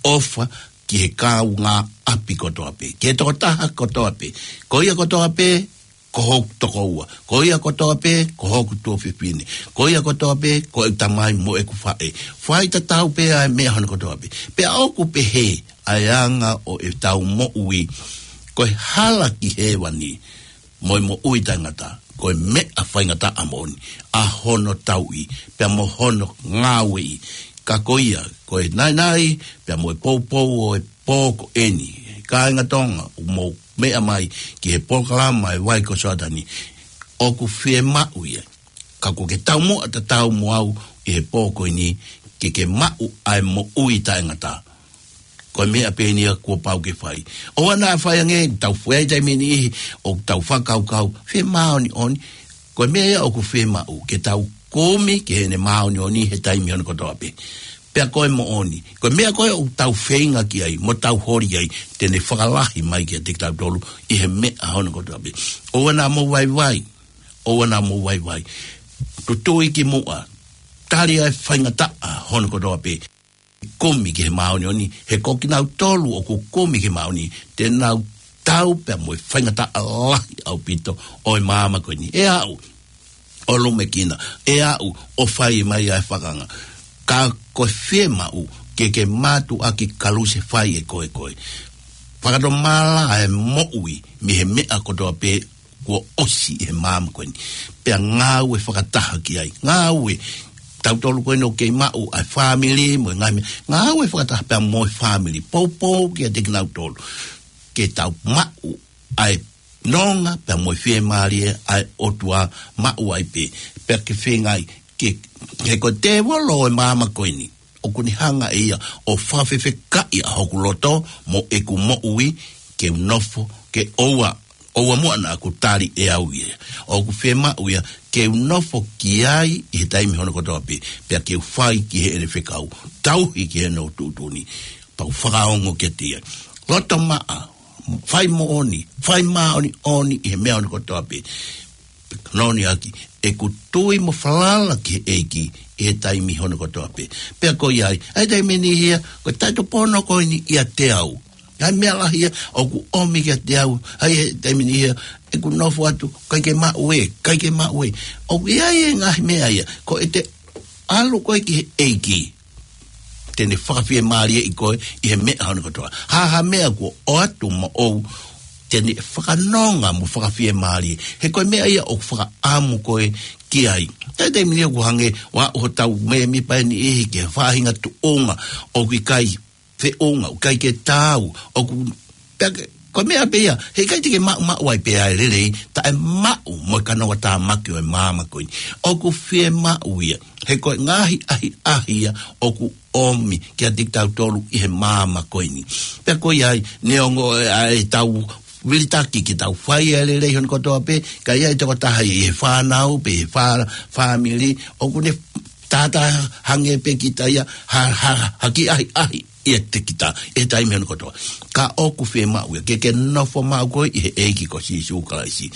ʻofa ki he kaungāʻapi kotoa pē, ki he tokotaha kotoa pē. Ko ia kotoa pē, ko hoku tokoua. Ko ia kotoa pē, ko hoku tuofefine. Ko ia kotoa pē, ko ʻeku tamai mo ʻeku faʻē. Fai tatau pē ʻa e meʻa hono kotoa pē. Pea ʻoku pehē ʻa e anga ʻo ʻetau moʻui, ko e hala ki hēvani mo e moʻui taʻengata, ko e meʻa faingataʻa moʻoni ʻa hono tauʻi, pea mo hono ngāueʻi. Ka ko ia, ko e naʻinaʻi, pea mo e poupou ʻo e pō ko eni, kāinga Tonga, ʻoku mou meʻa mai ki he polokalama ʻa e Vai ki Soatani, ʻoku fiemaʻu ia, ka kuo ke taumuʻa tatau mo au ʻi he pō ko eni, ke ke maʻu ʻa e moʻui taʻengata. Ko e meʻa pē eni ia kuo pau ke fai. ʻOua naʻa fai ange, tau fai taimi ʻe niʻihi, ʻoku tau fakakaukau, fiemāʻoniʻoni, ko e meʻa ia ʻoku fiemaʻu, ke tau kumi ki heʻene māʻoniʻoni he taimi hono kotoa pē. Pea ko e moʻoni, ko e meʻa ko ē ʻoku tau feinga ki ai, mo tau holi ai, te ne fakalahi mai kiate kitautolu ʻi he meʻa hono kotoa pē. ʻOua naʻa mou vaivai, ʻoua naʻa mou vaivai. Tutui ki muʻa, tali ʻa e faingataʻa hono kotoa pē. Kumi ki he māʻoniʻoni, he ko kinautolu ʻoku kumi ki he māʻoniʻoni, te nau tau pea mo e faingataʻa lahi ʻaupito ʻo e māmani ko eni. ʻE aʻu ʻo lumekina, ʻe aʻu ʻo fai mai ʻa e fakanga. Ka ko e fiemaʻu ke ke mātuʻaki kalusefai ʻe koe koe. Fakatomala ʻa e moʻui mei he meʻa kotoa pē kuo ʻosi ʻi he māmani ko eni. Pea ngāue fakataha ki ai. Ngāue, tautolu ko eni ʻoku kei maʻu ʻa e fāmili mo e ngaahi meʻa. Ngāue fakataha pea mo e fāmili. Poupou kiate kinautolu. Ke tau maʻu ʻa e nonga pea mo e fiemālie ʻa e ʻOtua maʻu ai pē. Pea ke feinga ai ke, he ko e tēvolo ʻo e māmani ko eni ʻoku ne hanga ʻe ia ʻo fakafefekaʻi ʻa hoku loto mo ʻeku moʻui ke u nofo, ke ʻoua, ʻoua muʻa naʻa ku tali ʻe au ia. ʻOku fiemaʻu ia ke u nofo ki ai ʻi he taimi hono kotoa pē, pea ke u fai ki heʻene fekau, tauhi ki heʻene tuʻutuʻuni, pea u fakaongo kiate ia. Loto maʻa, fai moʻoni, fai māʻoniʻoni ʻi he meʻa hono kotoa pē. Noni aki, ʻeku tui mo falala ki he ʻEiki ʻi he taimi hono kotoa pē. Pea ko ia ai, ʻa e taimi ni ia, ko e taʻetopono ko eni ʻiate au. ʻA e meʻa lahi ia ʻoku ʻomi kiate au, ʻa e taimi ni ia, ʻeku nofo atu, ʻikai ke maʻu ē, ʻikai ke maʻu ē. ʻOku ʻi ai e ngaahi meʻa ia, ko ʻete ʻalu koe ki he ʻEiki, te ne fakafiemālieʻi koe ʻi he meʻa hono kotoa. Ha ha meʻa kuo ʻoatu moʻou, te ne fakanonga mo fakafiemālie. He ko e meʻa ia ʻoku fakaʻamu koe ki ai. Taimi ni ʻoku hangē ʻoku aʻu hotau mēmipa ʻe niʻihi ki he faʻahinga tuʻunga ʻoku ʻikai feʻunga, ʻoku ʻikai ke taau, ʻoku pea ke, ko e meʻa pē ia, heʻikai te ke maʻumaʻu ai pē ʻa e lelei, taʻemaʻu mo e kanoa tāmaki ʻo e māmani ko eni. ʻOku fiemaʻu ia, he ko e ngaahi ʻahiʻahi ia ʻoku ʻomi kiate kitautolu ʻi he māmani ko eni. Pea ko ia ai, neongo ʻa ʻetau vilitaki ke tau fai ʻa e lelei hono kotoa pē, ka ʻi ai e tokotaha ʻi he fānau, pe he fā-, fāmili, ʻoku ne tātā hangē pē kita ia, ha, ha, ha kiʻi ʻahiʻahi ʻiate kita ʻi he taimi hono kotoa. Ka ʻoku fiemaʻu ia ke ke nofo maʻu koe ʻi he ʻEiki ko Sīsū Kalaisi.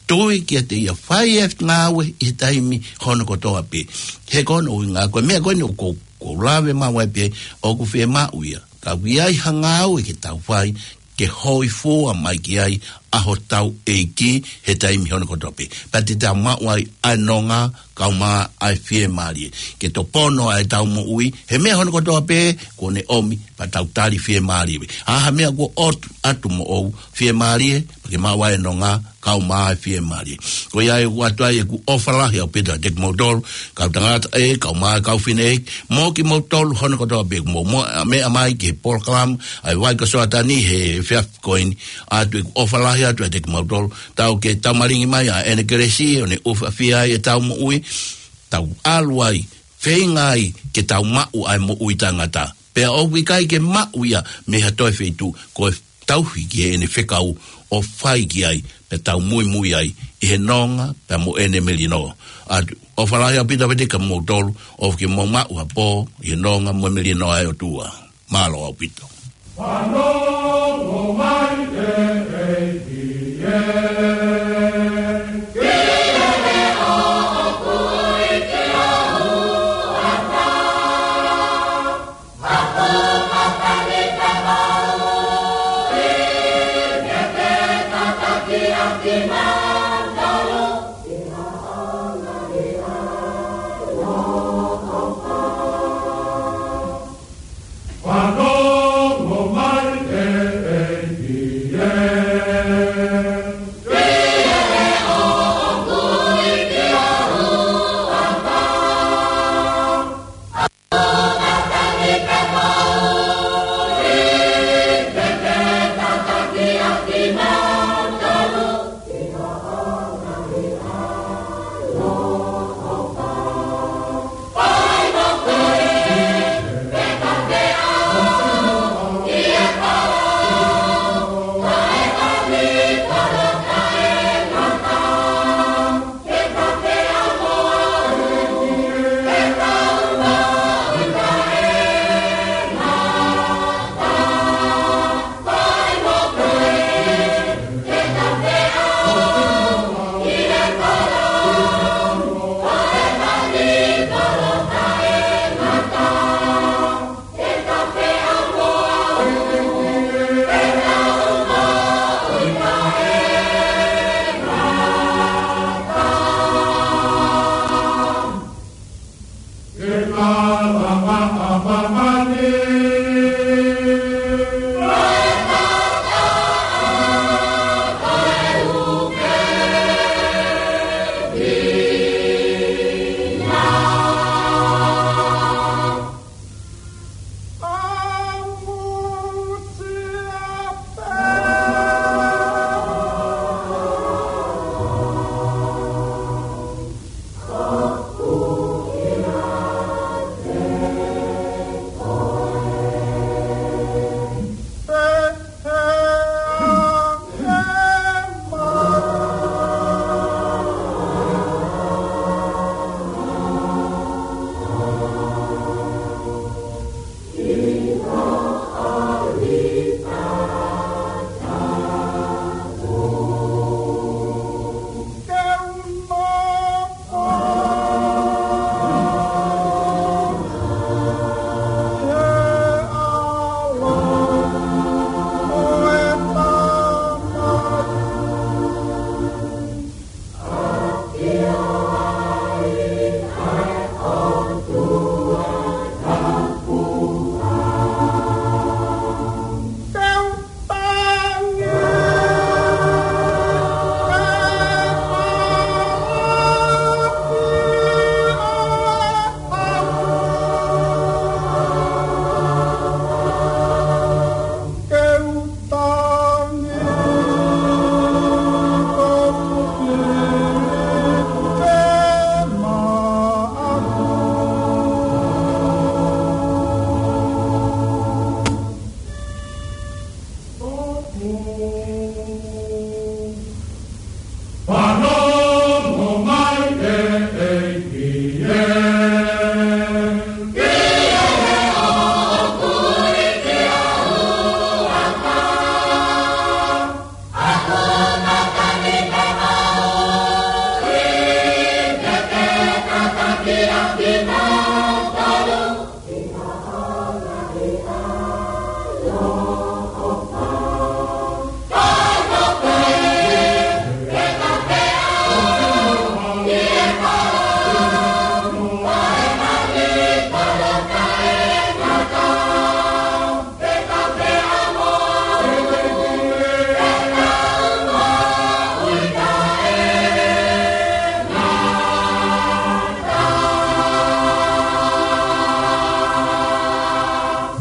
Tui kiate ia, fai e ngāue ʻi he taimi hono kotoa pē. He ko hono ʻuhinga ko e meʻa ko eni ʻoku ou, ʻoku ou lave maʻu ai pē, ʻoku fiemaʻu ia. Ka ʻoku ʻi ai ha ngāue ke tau fai, ke hōifua mai ki ai ʻa hotau ʻEiki he taimi hono kotoa pē. Pea te tau maʻu ai ʻa e nonga, kaeʻumaʻā ʻa e fiemālie. Ke topono ʻa ʻetau moʻui, he meʻa hono kotoa pē kuo ne ʻomi, pea tau tali fiemālie. Ha ha meʻa kuo ʻoatu, ʻoatu moʻou, fiemālie, pea ke maʻu ʻa e nonga, kaeʻumaʻā ʻa e fiemālie. Ko ia ai ʻoku ʻoatu ai ʻeku ʻofa lahi ʻaupito kiate kimoutolu, kau tangata ē, kaeʻumaʻā kau fineʻeiki, mo kimoutolu hono kotoa pē, mou, mou meʻa mai ki he polokalama ʻa e Vai ko Soatani he efiafi ko eni, ʻoatu ʻeku ʻofa lahi atu kiate kimoutolu, tau ke taumalingi mai ʻa ʻene kelesi, ʻo ne ʻufiʻufi ai ʻetau moʻui, tau ʻalu ai, feinga ai ke tau maʻu ʻa e moʻui taʻengata. Pea ʻoku ʻikai ke maʻu ia mei ha toe feituʻu, ko e tauhi ki heʻene fekau ʻo fai ki ai, pea tau muimui ai ʻi he nonga pea mo ʻene melino. ʻOatu ʻofa lahi ʻaupito kiate kimoutolu, ʻofa ke mou maʻu ha pō ʻi he nonga mo e melino ʻa e ʻOtua. Mālō ʻaupito. Fanongo mai e ʻEiki ē.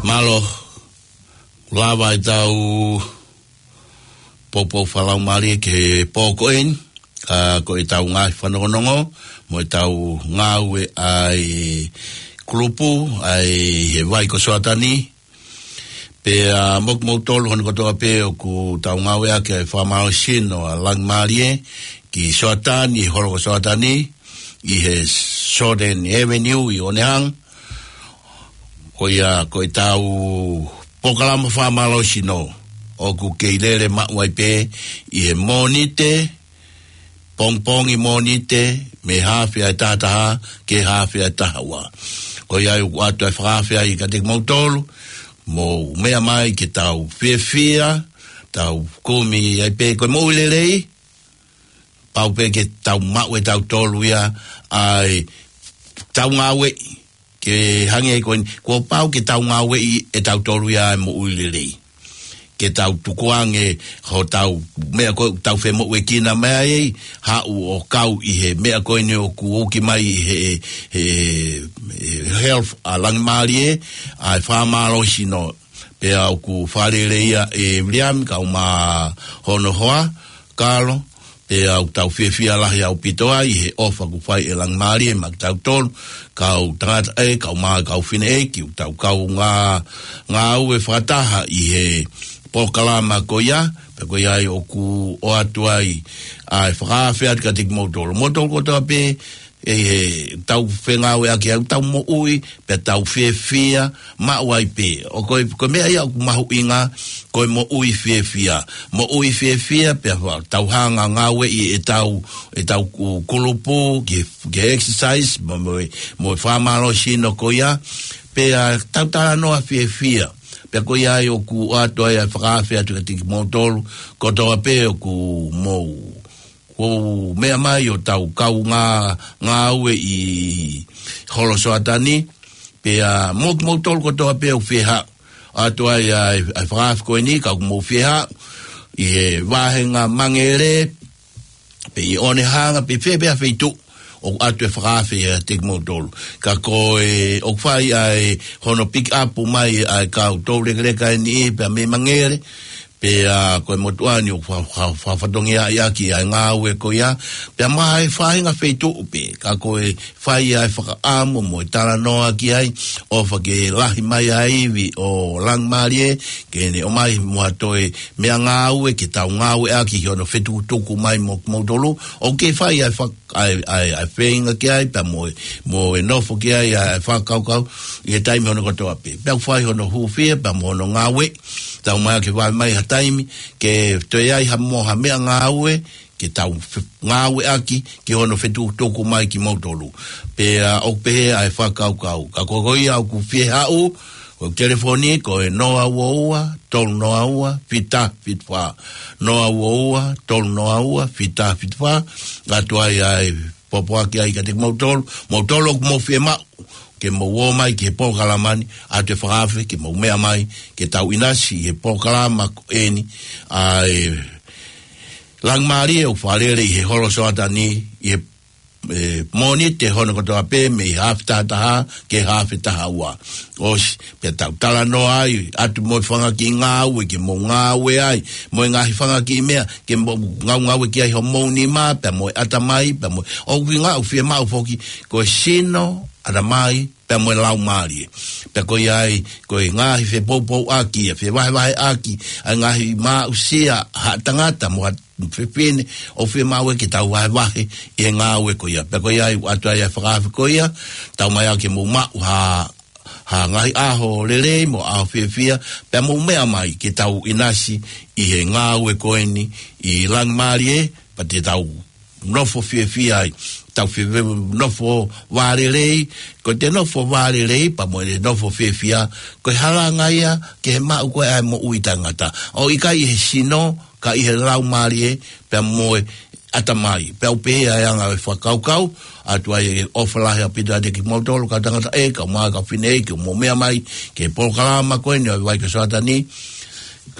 Mālō, lava ʻetau poupou fakalaumālie ki he pō ko eni, ʻa, ko ʻetau ngaahi fanongonongo, mo ʻetau ngāue ʻa e kulupu, ʻa e he vai ko Soatani, pea mo kimoutolu hono kotoa pē ʻoku tau ngāueʻaki ʻa e fakamālohisino ʻa Langimālie ki Soatani, holo ko Soatani, ʻi he Soatani Avenue ʻi ʻOnehanga. Ko ia ko ʻetau polokalama fakamālohisino ʻoku kei lele maʻu ai pē ʻi he Mōnite, pongipongi Mōnite, mei he haafe ʻa e taha taha ki he haafe ʻa e taha ua. Ko ia ʻoku ʻoatu ʻa e fakaafe ai kiate kimoutolu, mou meʻa mai ke tau fiefia, tau kumi ai pē ko e moʻui lelei, pau pē ke tau maʻu ʻe tautolu ia ʻa e tau ngāueʻi, ke hangē ko eni, kuo pau ke tau ngāueʻi ʻe tautolu ia ʻa e moʻui lelei. Ke tau tukuange hotau meʻa ko ē ʻoku tau femoʻuekina mai ai, haʻu ʻo kau ʻi he meʻa ko eni ʻoku uki mai ʻi he, he, he health ʻa Langimālie, ʻa e fakamālohisino, pea ʻoku fakalele ia ʻe Viliami, kau mo hono hoa, Kalo, pea ʻoku tau fiefia lahi ʻaupito ai he ʻofa ʻoku fai ʻe Langimālie maʻa kitautolu, kau tangataʻeiki, kau mā, kau fineʻeiki, ʻoku tau kau ngā, ngāue fakataha ʻi he polokalama ko ia, pea ko ia ai ʻoku ʻoatu ai ʻa e fakaafe atu kiate kimoutolu. Moutolu kotoa pē, ʻe, ʻe tau fengāueʻaki ʻa ʻetau moʻui, pea tau fiefia maʻu ai pē. ʻO ko e, ko e meʻa ia ʻoku mahuʻinga, ko e moʻui fiefia. Moʻui fiefia, pea fa-, tau hanga ngāueʻi ʻetau, ʻetau ku-, kulupu, ke, ke exercise, mo, mo, mo e fakamālohisino ko ia, pea tau talanoa fiefia. Pea ko ia ai ʻoku ʻoatu ai ʻa e fakaafe atu kiate kimoutolu, kotoa pē ʻoku mou ʻoku meʻa mai ʻo tau kau ngā, ngāue ʻi holo Soatani, pea mo kimoutolu kotoa pē ʻoku fie haʻu. ʻOatu ai ʻa e, ʻa e fakaafe ko eni, ka ʻoku mou fie haʻu ʻi he vāhenga Mangere, pe ʻi ʻOnehanga, pe fē pē ha feituʻu, ʻoku ʻoatu e fakaafe kiate kimoutolu. Ka ko e, ʻoku fai ʻa e hono pick up mai ʻa e kau toulekeleka eni pea mei Mangere, pea ko e motuʻa ni ʻoku fa-, fa-, fa-, fatongia ʻaki ʻa e ngāue ko ia, pea maʻa e faʻahinga feituʻu pē, ka ko e fai ʻa e fakaʻamu mo e talanoa ki ai, ʻofa ke lahi mai ʻa e ivi ʻo Langimālie, ke ne ʻomai mo ha toe meʻangāue ke tau ngāueʻaki ʻi hono fetukutuku mai mo kimoutolu, ʻoku kei fai ʻa e fak-, ʻa e, ʻa e, ʻa e feinga ki ai, pea mo e, mo e nofo ki ai ʻa e fakakaukau, ʻi he taimi hono kotoa pē. Pea ʻoku fai hono hūfia, pea mo hono ngāue, tau mai ke vave mai ha taimi, ke toe ai ha mo ha meʻangāue, ke tau fe-, ngāueʻaki, ki hono fetukutuku mai kimoutolu. Pea ʻoku pehē ʻa e fakakaukau. Ka ko, ko ia ʻoku fie haʻu, ko e telefoni, ko e noa ua ua, tolu noa ua, fita fitu fā. Noa ua ua, tolu noa ua, fita fitu fā. ʻOatu ai ʻa e pōpoaki ai kiate kimoutolu, moutolu ʻoku mou fiemaʻu ke mou ō mai ki he polokalama ni, ʻoatu e fakaafe ke mou meʻa mai, ke tau ʻinasi ʻi he polokalama ko eni, ʻa e Langimālie ʻoku fakalele ʻi he holo Soatani, ʻi he, ʻe, Mōnite hono kotoa pē mei he haafe taha taha ki he haafe taha ua. ʻOsi, pea tau talanoa ai, ʻoatu mo e fanga kiʻi ngāue ke mou ngāue ai, mo e ngaahi fanga kiʻi meʻa ke mou ngāue, ngāue ki ai homou nima, pea mo e ʻatamai, pea mo e, ʻoku ʻi ai ʻoku fiemaʻu foki, ko e sino, ʻatamai, pea mo e laumālie. Pea ko ia ai, ko e ngaahi fepoupouaki, ʻa e fevahevaheʻaki, ʻa e ngaahi maʻusia, ha tangata mo ha fefine, ʻoku fiemaʻu ke tau vahevahe ʻi he ngāue ko ia. Pea ko ia ai, ʻoatu ai ʻa e fakaafe ko ia, tau mai ʻa ke mou maʻu ha, ha ngaahi ʻaho lelei mo ʻaho fiefia, pea mou meʻa mai ke tau ʻinasi ʻi he ngāue ko eni ʻi Langimālie, pea te tau nofo fiefia ai. Tau fie nofo vālelei, ko ʻete nofo vālelei, pea mo e nofo fiefia, ko e halanga ia ki he maʻu ko ē ʻa e moʻui taʻengata. ʻOku ʻikai ʻi he sino, ka ʻi he laumālie, pea mo e ʻatamai. Pea ʻoku pehē ʻa e anga ʻo e fakakaukau, ʻoatu ai e ʻofa lahi ʻaupito ʻiate kimoutolu, kau tangata ē, kau mā, kau fefine ē, ke mou meʻa mai, ki he polokalama ko eni ʻo e Vai ko Soatani,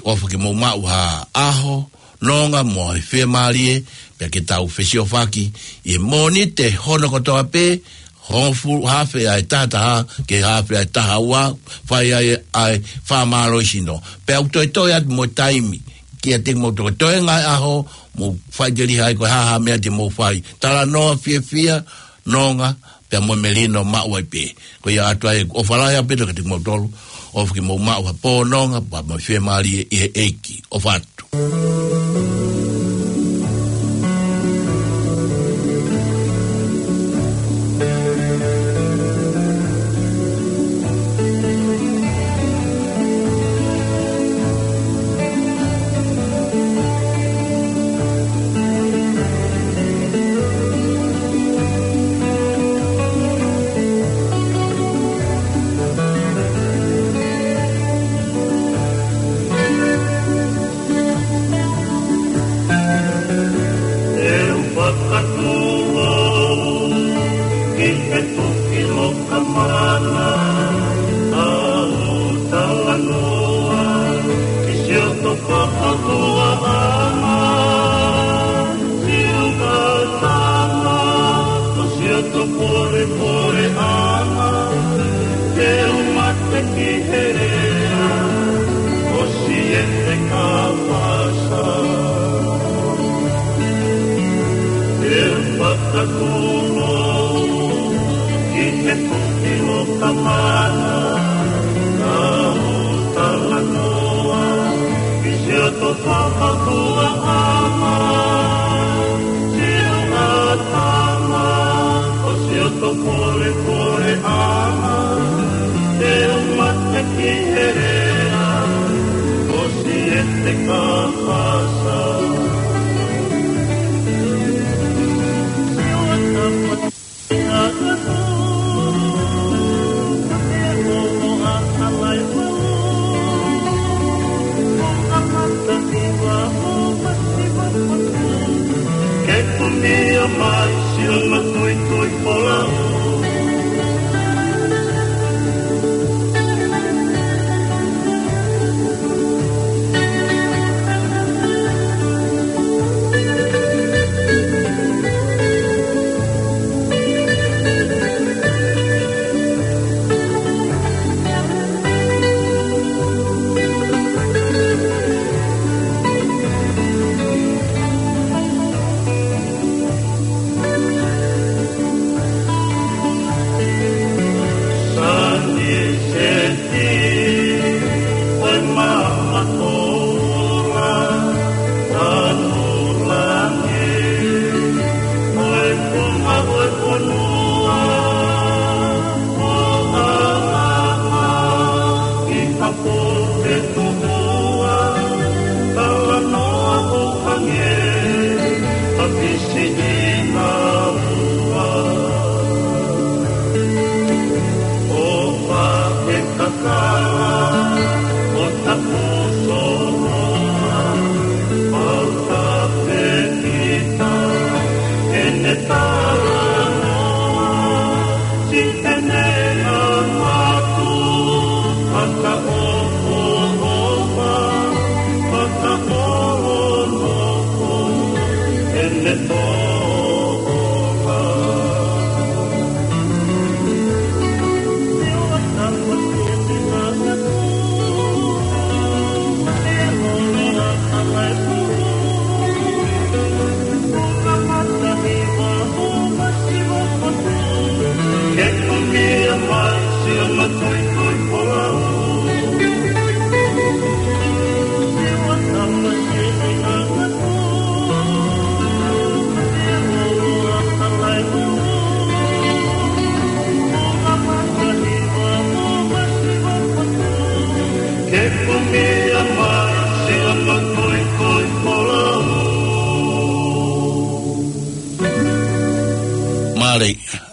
ʻofa ke mou maʻu ha ʻaho, nonga mo e fiemālie, pea ke tau fesiofaki ʻi he Mōnite hono kotoa pē, hongofulu, haafe ʻa e taha taha, ki he haafe ʻa e taha ua, fai ai ʻa e fakamālohisino. Pea ʻoku toe toe atu mo e taimi, kiate kimoutolu, toe ngaahi ʻaho, mou faʻiteliha ai ko e hā ha meʻa te mou fai. Talanoa fiefia, nonga, pea mo e melino maʻu ai pē. Ko ia ʻoatu ai ʻofa lahi ʻaupito kiate kimoutolu, ʻofa ke mou maʻu ha pō nonga, pea mo e fiemālie ʻi he ʻEiki. ʻOfa atu. ʻE u fakatūʻoua ki he tuʻi loka mana, ʻa hoʻo talanoa ki siʻoto fakafofonga, siʻoto tama, ko siʻoto polepole ʻana, te u mate ki he lea ʻo Siete Kapasa. ʻE u fakatūʻoua ki he tuʻi loka mana, ʻa hoʻo talanoa ki siʻoto fakafofonga, siʻoto tama, ko siʻoto polepole ʻana, te u mate ki he lea ʻo Siete Kapasa. Ke kumia mai siʻono tuitui folau.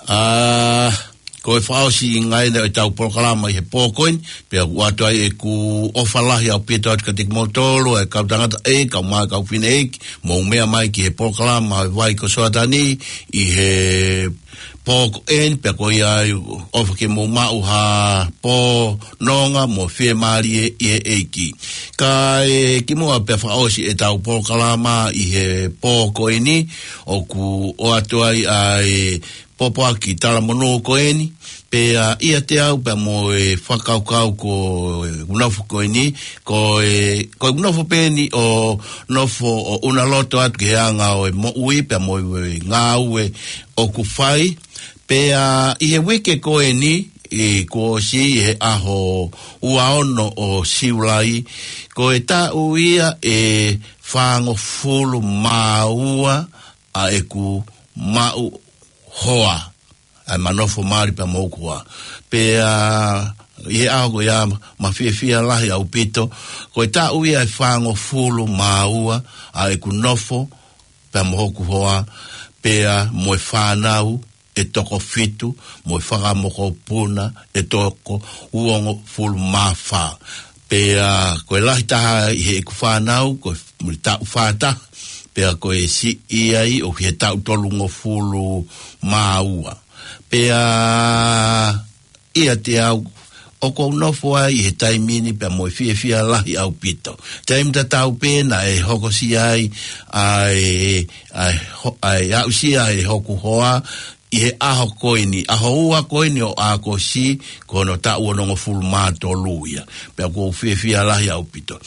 ʻA, ko e fakaʻosi ngai ʻeni ʻo ʻetau polokalama ʻi he pō ko eni, pea ʻoku ʻoatu ai ʻeku ʻofa lahi ʻaupito atu kiate kimoutolu, ʻa e kau tangataʻeiki, kau mā, kau fineʻeiki, mou meʻa mai ki he polokalama ʻo e Vai ko Soatani, ʻi he pō ko eni, pea ko ia ai ʻofa ke mou maʻu ha pō nonga mo fiemālie ʻi he ʻEiki. Kae kimuʻa pea fakaʻosi ʻetau polokalama ʻi he pō ko eni, ʻoku ʻoatu ai ʻa e pōpoaki talamonū ko eni, pea ʻiate au pea mo e fakakaukau ko e nofo ko eni, ko e, ko e nofo pē eni ʻo nofo ʻo ʻuna loto atu ki he anga ʻo e moʻui pea mo e ngāue ʻoku fai, pea ʻi he uike ko eni, ʻi kuo ʻosi ʻi he ʻaho ua ono ʻo Siulai, ko e taʻu ia ʻe fāngofulu mā ua ʻa ʻeku maʻu hoa, ʻa e ma nofo mali pea mo hoku hoa. Pea ʻi he ʻaho ko ia ma fiefia lahi ʻaupito, ko e taʻu ia ʻe fāngofulu mā ua ʻa ʻeku nofo pea mo hoku hoa, pea mo e fānau ʻe toko fitu, mo e fakamokopuna ʻe toko uongofulu mā fā. Pea ko e lahi taha ʻi heʻeku fānau, ko e muli taʻu fā taha, pea ko e siʻi ai ʻoku ʻi he taʻu tolungofulu mā ua. Pea ʻiate au, ʻoku ou nofo ai ʻi he taimi ni pea mo e fiefia lahi ʻaupito. Taimi tatau pē naʻe hokosia ai ʻa e, ʻa e ho-, ʻa e aʻusia ʻe hoku hoa ʻi he ʻaho ko eni, ʻaho ua ko eni ʻo ʻAokosi, ko hono taʻu onongofulu mā tolu ia. Pea ʻoku ou fiefia lahi ʻaupito.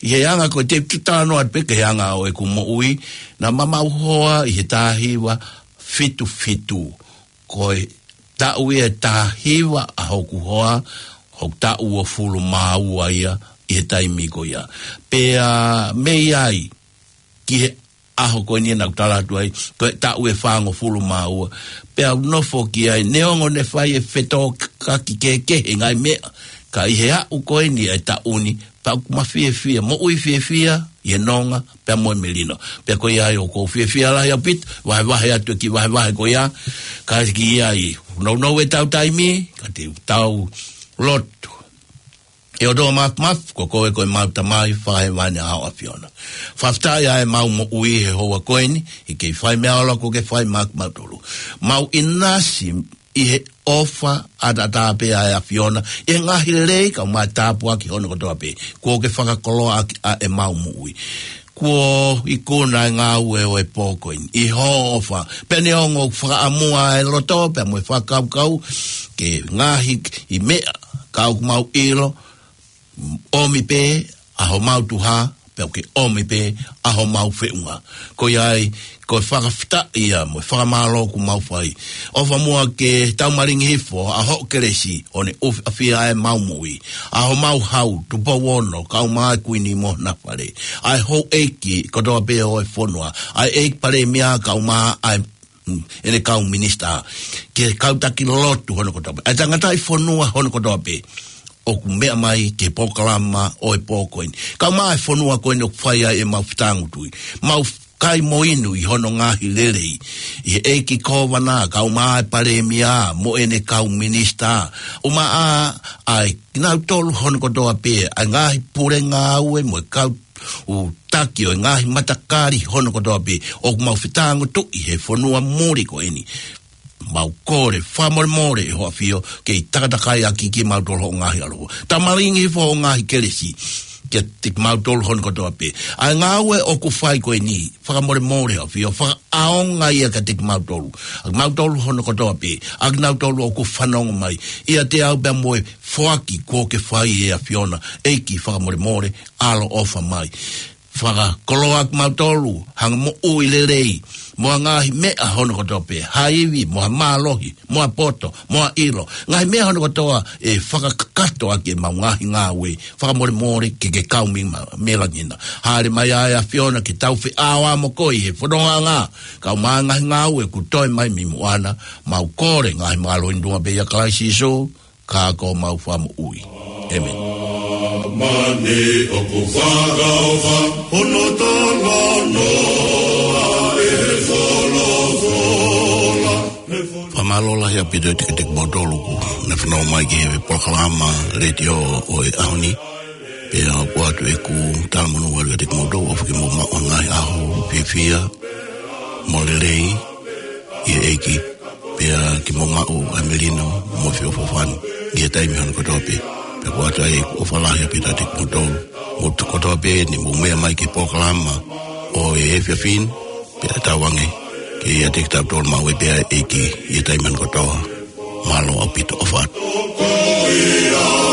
ʻI he anga ko e te tutalanoa pē ki he anga ʻo ʻeku moʻui, naʻa ma maʻu hoa ʻi he taha hiva fitu fitu. Ko e taʻu ia ʻe taha hiva ʻa hoku hoa, hoku taʻu uofulu mā ua ia ʻi he taimi ko ia. Pea mei ai ki he ʻaho ko eni naʻa ku tala atu ai, ko e taʻu ʻe fāngofulu mā ua. Pea u nofo ki ai, neongo ne fai e fetōkaki kehekehe ngaahi meʻa, ka ʻi he aʻu ko eni ʻa e taʻu ni, pea ʻoku ma fiefia, moʻui fiefia ʻi he nonga pea mo e melino. Pea ko ia ai ʻoku ou fiefia lahi ʻaupito, vahevahe atu e kiʻi vahevahe ko ia, ka ki ai, nounou ʻetau taimi, ka te tau lotu. ʻE ʻOtua Māfimafi, ko koe ko ʻemau Tamai Fakahēvani, ʻa ho ʻAfiona. Fakafetaʻi ʻa ʻemau moʻui he houa ko eni, ʻi he kei fai meʻa ʻoku ke fai maʻa kimautolu. Mau ʻinasi ʻi he ʻofa ʻataʻatā pē ʻa e ʻAfiona, ʻi he ngaahi lelei kae ʻumaʻā e tāpuaki hono kotoa pē, kuo ke fakakoloaʻaki ʻa ʻemau moʻui. Kuo ikuna e ngāue ʻo e pō ko eni ʻi hoʻo ʻofa. Pea neongo ʻoku fakaʻamua e loto pea mo e fakakaukau ki he ngaahi meʻa, ka ʻoku mau ʻilo, ʻomi pē ʻa homau tuha, pea ʻoku ke ʻomi pē ʻa homau feʻunga. Ko ia ai, ko e fakafetaʻi ia mo e fakamālō ʻoku mau fai. ʻOfa muʻa ke tau malingi hifo ʻa hoʻo kelesi, ʻo ne ʻufiʻafia ʻemau moʻui, ʻa homau hau, Tupou Ono, kae ʻumaʻā e Kuini mo hona fale, ʻa e houʻeiki kotoa pē ʻo e fonua, ʻa e ʻEiki Palēmia kae ʻumaʻā ʻa e, mm, ʻene kau minisitā, ki he kau taki lotu hono kotoa pē, ʻa e tangataʻi fonua hono kotoa pē ʻoku meʻa mai ki he polokalama ʻo e pō ko eni, kae ʻumaʻā e fonua ko eni ʻoku fai ai ʻemau fetāngutuʻi. Mau kai mo inu ʻi hono ngaahi lelei, ʻi he ʻEiki Kōvana, kae ʻumaʻā e Palēmia mo ʻene kau minisitā, ʻumaʻā ʻa kinautolu hono kotoa pē, ʻa e ngaahi pule ngāue mo e kau taki ʻo e ngaahi matakali hono kotoa pē ʻoku mau fetāngutuʻi he fonua muli ko eni. Mau kole fakamolemole ʻe ho ʻAfio, kei takatakai ʻaki kimautolu hoʻo ngaahi ʻaloʻofa. Tau malingi hifo hoʻo ngaahi kelesi kiate kimautolu hono kotoa pē. ʻA e ngāue ʻoku fai ko eni, fakamolemole ʻe ho ʻAfio, fakaʻaonga ia kiate kimautolu, ʻa kimautolu hono kotoa pē, ʻa kinautolu ʻoku fanongo mai, ʻiate au pea mo e foaki kuo ke fai ʻe ʻAfiona. ʻEiki, fakamolemole, ʻaloʻofa mai. Fakakoloa kimautolu, ha moʻui lelei, mo ha ngaahi meʻa hono kotoa pē, ha ivi, mo ha mālohi, mo ha poto, mo ha ʻilo. Ngaahi meʻa hono kotoa ʻe fakakakato ʻaki ʻemau ngaahi ngāue, fakamolemole ke ke kau mai ma-, mai langi na. Hāʻele mai ʻa e ʻAfiona ke tau feʻao mo koe ʻi he fonongaʻanga, kae ʻumaʻā e ngaahi ngāue kuo toe mai mei muʻa na. Mau kole ngaahi mālohi ni ʻi he huafa pē ʻo Kalaisi Sīsū, ka ko homau Fakamoʻui. ʻĒmeni. Mani ʻoku fakaʻofa hono talanoa ʻe he folofola. Fama- Mālō lahi ʻaupito ʻiate kimoutolu kuo nau fanongo mai ki he polokalama letiō ʻo e ʻaho ni. Pea ʻoku ʻoatu ʻeku talamonū atu kiate kimoutolu ʻofa ke mou maʻu ha ngaahi ʻaho fiefia mo lelei ʻi he ʻEiki. Pea ke mou maʻu ʻa e melino mo e feʻofoʻofani ʻi he taimi hono kotoa pē. Pea ʻoku ʻoatu ai ʻeku ʻofa lahi ʻaupito ʻiate kimoutolu. Mou tuku kotoa pē ʻeni mou meʻa mai ki he polokalama ʻo e efiafi ni, pea tauange ke ʻiate kitautolu maʻu ai pē ʻa e ʻEiki ʻi he taimi hono kotoa. Mālō ʻaupito, ʻofa atu.